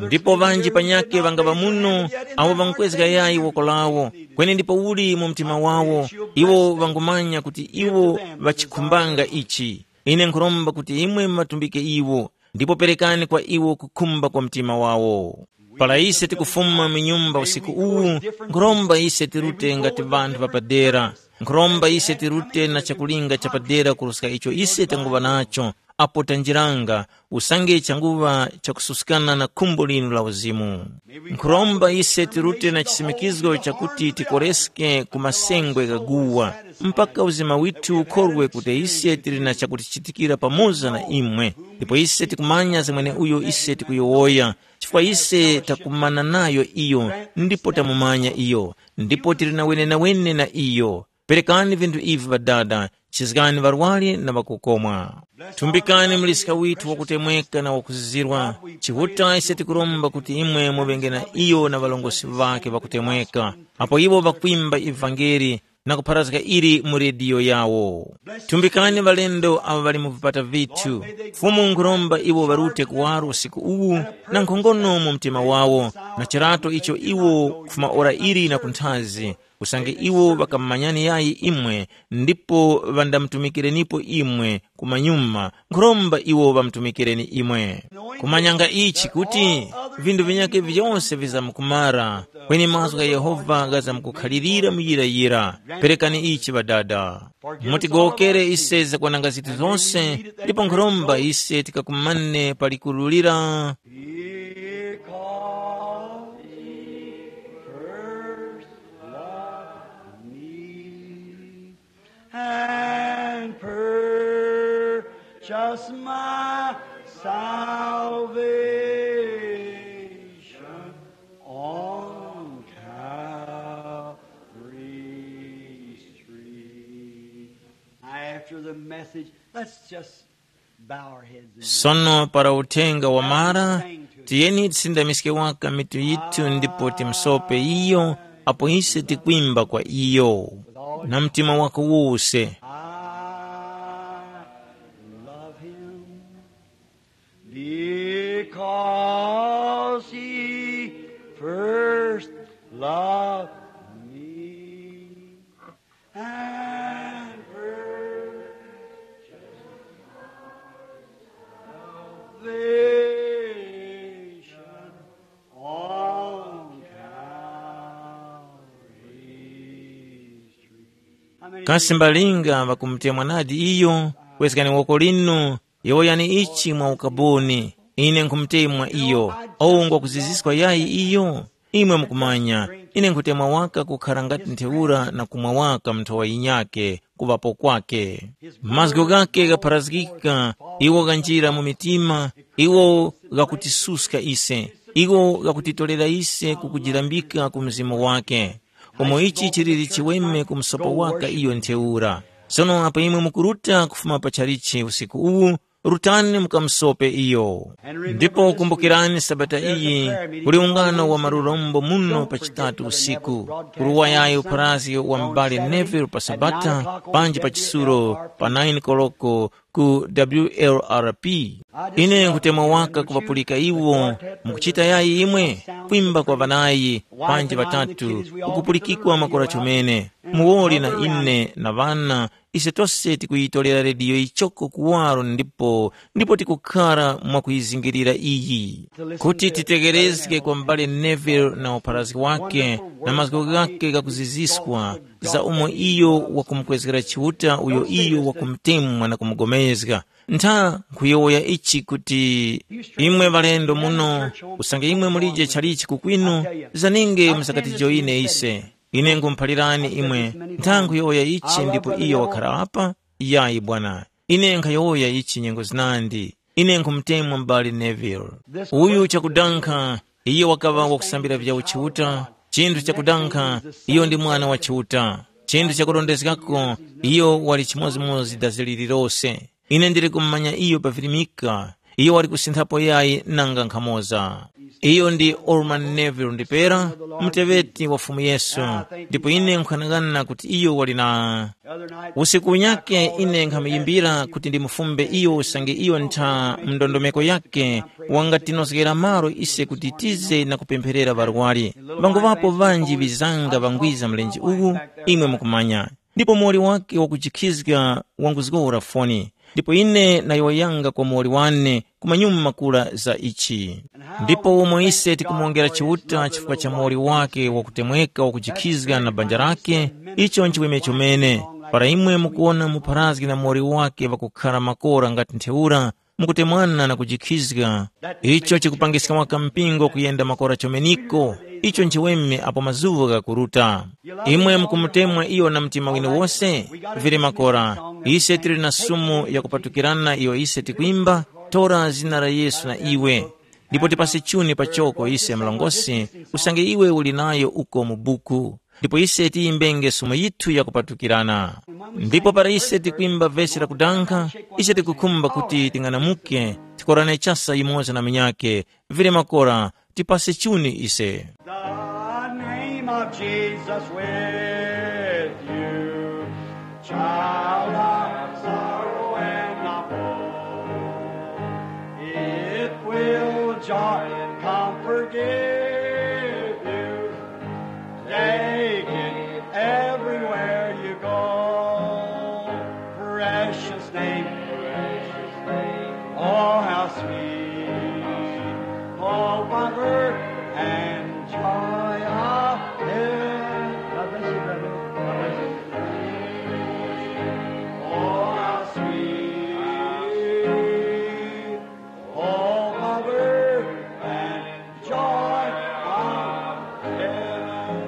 Ndipo ŵanji panyakhe ŵangaŵa muno, awo ŵankwezga yayi woko lawo, kweni ndipo uli mu mtima wawo, iwo ŵangumanya kuti iwo ŵachikhumbanga ichi. Ine nkhuromba kuti imwe mumatumbike iwo, ndipo perekani kwa iwo kukhumba kwa mtima wawo. Para ise tikufuma mu nyumba usiku uwu, nkhuromba ise tirute ngati ŵanthu ŵapadera. Nkhuromba ise tirute na chakulinga chapadera kuruska icho ise tanguŵa nacho, apo tanjiranga, usange changuŵa chakususkana na khumbo linu la uzimu. Nkhuromba ise tirute na chisimikizgo chakuti tikoreske ku masengwe gha guwa, mpaka uzima withu ukorwe kuti ise tili na chakutichitikira pamoza na imwe, ndipo ise tikumanya za mweneuyo ise tikuyowoya, chifukwa ise takumana nayo iyo ndipo tamumanya iyo, ndipo tili na wenenawene na iyo. Perekani vinthu ivi Ŵadada, chizgani ŵarwari na ŵakukomwa. Thumbikani muliska withu wakutemweka na wakuzizirwa. Chiuta ise tikuromba kuti imwe muŵenge na iyo na ŵarongozgi ŵakhe ŵakutemweka, apo iwo ŵakwimba ivangeli na kupharazga ili mu rediyo yawo. Thumbikani ŵalendo awo ŵali mu vipata vithu. Fumu nkhuromba iwo ŵarute kuwaro usiku uwu na nkhongono mu mtima wawo, na chirato icho iwo kufuma ora ili na kunthazi, usange iwo ŵakamumanyani yayi imwe ndipo ŵandamutumikirenipo imwe kumanyuma, nkhuromba iwo ŵamutumikireni imwe. Kumanyanga ichi kuti vinthu vinyakhe vyose vizamkumara, kweni mazgu gha Yehova ghazamkukhalirira muyirayira. Perekani ichi Ŵadada. Mutigowokere ise zakwananga zithu zose, ndipo nkhuromba ise tikakumane pa likuru lira. Because he first loved me and purchased my salvation on Calvary's tree. After the message, let's just bow our heads and Sono para uthenga wamara, tiyeni tisindamiske waka mitu yithu ndipo timsope iyo, apo ise tikwimba kwa iyo na mtima wako wose. I love him because he first loved me and first Kasi mbalinga ŵakumutemwa nadi iyo? Kwezgani woko linu, yowoyani ichi mwa ukaboni. Ine nkhumutemwa iyo. Ou ngwakuziziska yayi iyo? Imwe mukumanya, ine nkhutemwa waka kukhara ngati ntheura na kumwa waka mu nthowa yinyakhe kuŵapo kwakhe. Mazgu ghakhe ghapharazgika, iwo ghanjira mu mitima, iwo ghakutisuska ise, iwo ghakutitorera ise ku kujirambika ku Mzimu wakhe. Umo ichi chiliri chiweme ku msopo waka iyo ntheura. Sono apo imwe mukuruta kufuma pa chalichi usiku uwu, rutani mukamusope iyo. Ndipo kumbukirani sabata iyi, kuli ungano wa malurombo muno pa chitatu usiku, kuruwa yayo upharazgi wa m'bale Neville pa sabata, panji pa chisulo pa nine koloko ku W L R P. Ine nkutemwa waka kuŵapulika iwo, mukuchita yayi imwe, kwimba kwa ŵanayi, panji ŵatatu, kukupulikikwa makora chomene, muwoli na ine na ŵana, ise tose tikuyitolera rediyo ichoko kuwaro ndipo ndipo tikukhara mwakuyizingirira iyi, kuti titegerezge kwa m'bale Neville na upharazgi wake na mazgu ghake ghakuziziskwa, za umo iyo wakumukwezgera Chiuta uyo iyo wakumutemwa na kumugomezga. Ntha nkhuyowoya ichi kuti, imwe ŵalendo muno, usange imwe mulije chalichi kukwinu, zaninge musakatijoyine ise. Ine nkhumuphalirani imwe, ntha nkhuyowoya ichi ndipo iyo wakhara apa? Yayi bwana, ine nkhayowoya ichi nyengo zinandi. Ine nkhumutemwa m'bale Neville. Uyu chakudankha, iyo wakaŵa wakusambira vya uchiuta, chinthu chakudankha, iyo ndi mwana wa Chiuta. Chinthu chakurondezgako, iyo wali chimodzimodzi dazi lililose. Ine ndili kumumanya iyo pa virimika, iyo wali kusinthapo yayi nanga nkhamoza. Iyo ndi Orman Neville ndipera, muteŵeti wa Fumu Yesu, ndipo ine nkhanang'ana kuti iyo wali na. Usiku unyakhe ine nkhamuyimbira kuti ndimufumbe iyo usange iyo ntha mndondomeko yakhe wangatinozgera malo ise kuti tize na kupempherera ŵarwari. Ŵanguŵapo ŵanji ŵizanga ŵangwiza mlenje uwu, imwe mukumanya. Ndipo muwoli wake wakujikhizga wanguzgora foni, ndipo ine nayowoyanga kwa muwoli wane kumanyuma kura za ichi. Ndipo umo ise tikumuwongera Chiuta chifukwa cha muwoli wake wakutemweka wakujikhizga na banja lake, icho nchiweme chomene. Para imwe mukuwona mupharazgi na muwoli wake ŵakukhara makora ngati ntheura, mukutemwana na kujikhizga, icho chikupangiska waka mpingo kuyenda makora chomeniko, icho nchiweme apo mazuŵa ghakuruta. Imwe mukumutemwa iyo na mtima winu wose? Vili makora, ise tili na sumu yakupatukirana iyo ise tikwimba, tora zina la Yesu na iwe. Ndipo tipase chuni pachoko ise mlongosi, usange iwe uli nayo uko mu buku. Ndipo ise tiyimbenge sumu yithu yakupatukirana. Ndipo para ise tikwimba vesi lakudankha, ise tikukhumba kuti ting'anamuke, tikorane chasa yumoza na munyakhe, vile makora, tipase chuni ise. The name of Jesus with you, child of sorrow and of woe. It will joy and comfort give you. Take it everywhere you go. Precious name. Oh, how sweet. Oh, comfort and joy of heaven. God bless you, brother. God bless you. Oh, how sweet. Oh, comfort and joy of heaven.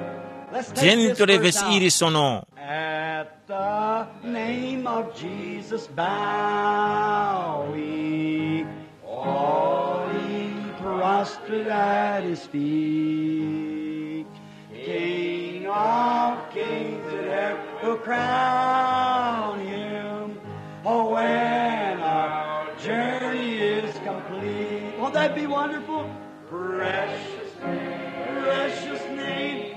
Let's take tiyeni this titole verse vesi out. Ili sono. At the name of Jesus bow we, all ye prostrate at his feet. King of kings and earth will crown him. Oh, when our journey is complete. Won't that be wonderful? Precious name, precious name.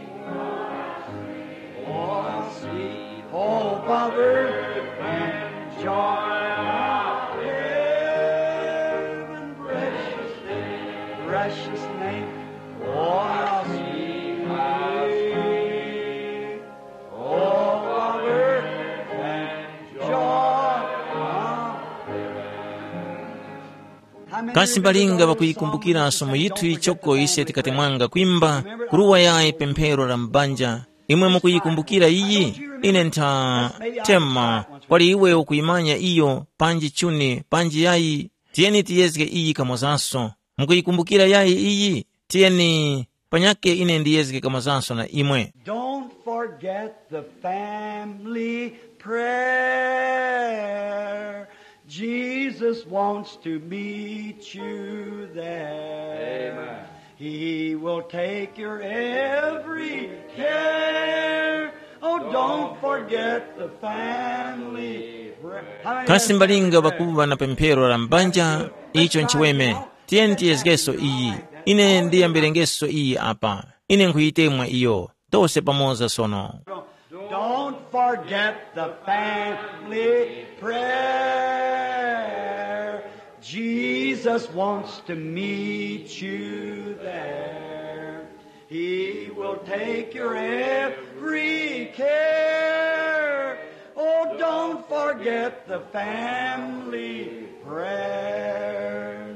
Oh, how sweet, hope of earth and joy of heaven. Precious name, precious name. Oh, how sweet, how sweet. Hope of earth and joy of heaven. Kasi mbalinga ŵakuyikumbukira somo yithu ichoko ise tikatemwanga kwimba, kuruwa yayi pemphero la mbanja? Imwe mukuyikumbukira iyi? Ine ntha tema, kwali iwe ukuyimanya iyo, panji chuni, panji yayi? Tiyeni tiyezge iyi kamozanso. Mukuyikumbukira yayi iyi? Tiyeni, panyakhe ine ndiyezge kamozanso na imwe. Don't forget the family prayer. Jesus wants to meet you there. Amen. He will take your every care. Oh, don't forget the family prayer. Kasi mbalinga pakuva na pemphero la mbanja, icho nchiweme. Tiyeni tiyezgeso iyi. Ine ndiyambirengeso iyi apa. Ine nkhuyitemwa iyo. Tose pamoza sono. Don't forget the family prayer. Jesus wants to meet you there. He will take your every care. Oh, don't forget the family prayer.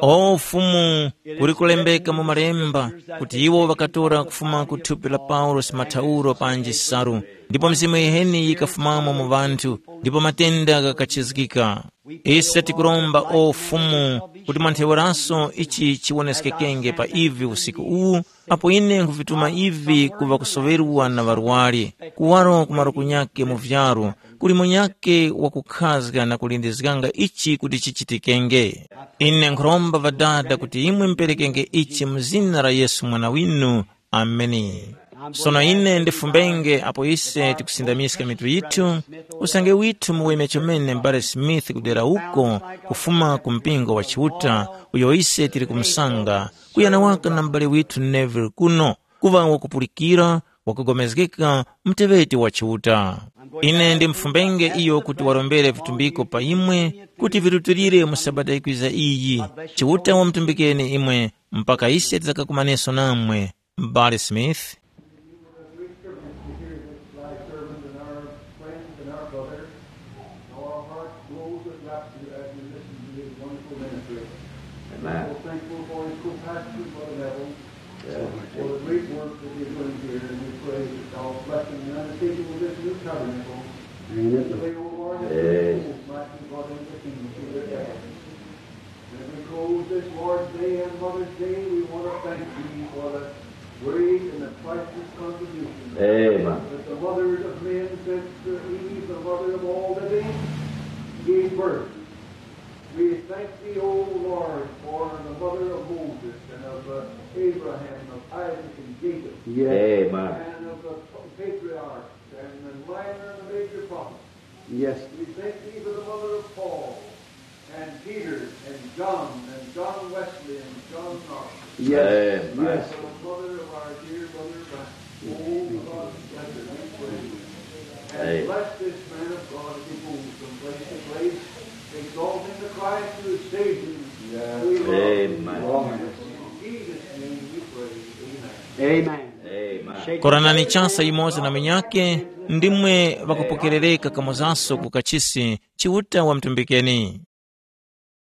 O Fumu, kuli kulembeka mu Malemba kuti iwo ŵakatora kufuma ku thupi la Paulosi mathauro panji nsalu, ndipo mizimu yiheni yikafumamo mu ŵanthu, ndipo matenda ghakachizgika. Ise tikuromba, o Fumu, kuti mwa ntheuraso ichi chiwoneskekenge pa ivi usiku uwu, apo ine nkhuvituma ivi ku ŵakusoŵerwa na ŵarwari, kuwaro ku maluko nyakhe mu vyaru, kuli munyakhe wakukhazga na kulindizganga ichi kuti chichitikenge. Ine nkhuromba Ŵadada kuti imwe muperekenge ichi mu zina la Yesu Mwana winu. Ameni. Sono ine ndifumbenge apo ise tikusindamiska mitu yithu, usange withu muweme chomene M'bale Smith kudera uko kufuma ku mpingo wa Chiuta, uyo ise tili kumusanga, kuyana waka na m'bale withu Neville kuno, kuŵa wakupulikira, wakugomezgeka, muteŵeti wa Chiuta. Ine ndimfumbenge iyo kuti warombere vitumbiko pa imwe kuti virutilire mu Sabata yikwiza iyi. Chiuta wamutumbikeni imwe mpaka ise tidakakumaneso namwe, M'bale Smith. Our hearts glows with gratitude as we listen to his wonderful ministry. Amen. We're thankful for his compassion for the devil, yes, for the great work that he's doing here, and we pray that God's blessing and undertaking of this new tabernacle, amen, that they, O Lord, that, yes, souls might be brought into the kingdom through their efforts. As we close this Lord's Day and Mother's Day, we want to thank thee for the great and the priceless contribution, amen, that the mother of men, since, uh, Eve, the mother of all living, gave birth. We thank thee, O Lord, for the mother of Moses and of, uh, Abraham, of Isaac and Jacob, yes, amen, and of the patriarchs and the minor and the major prophets. Yes. We thank thee for the mother of Paul and Peter and John and John Wesley and John Knox. Yes. Amen. Yes. For the mother of our dear brother Francis. Oh, God, bless her, we pray. And, amen, bless this man of God as he moves from place to place, exalting the Christ who has saved him. Yes. We love him. Amen. In Jesus' name we pray. Amen. Amen. Amen. Koranani chasa yimoza na munyake, ndimwe ŵakupokerereka kamozanso ku kachisi, Chiuta wamutumbikeni.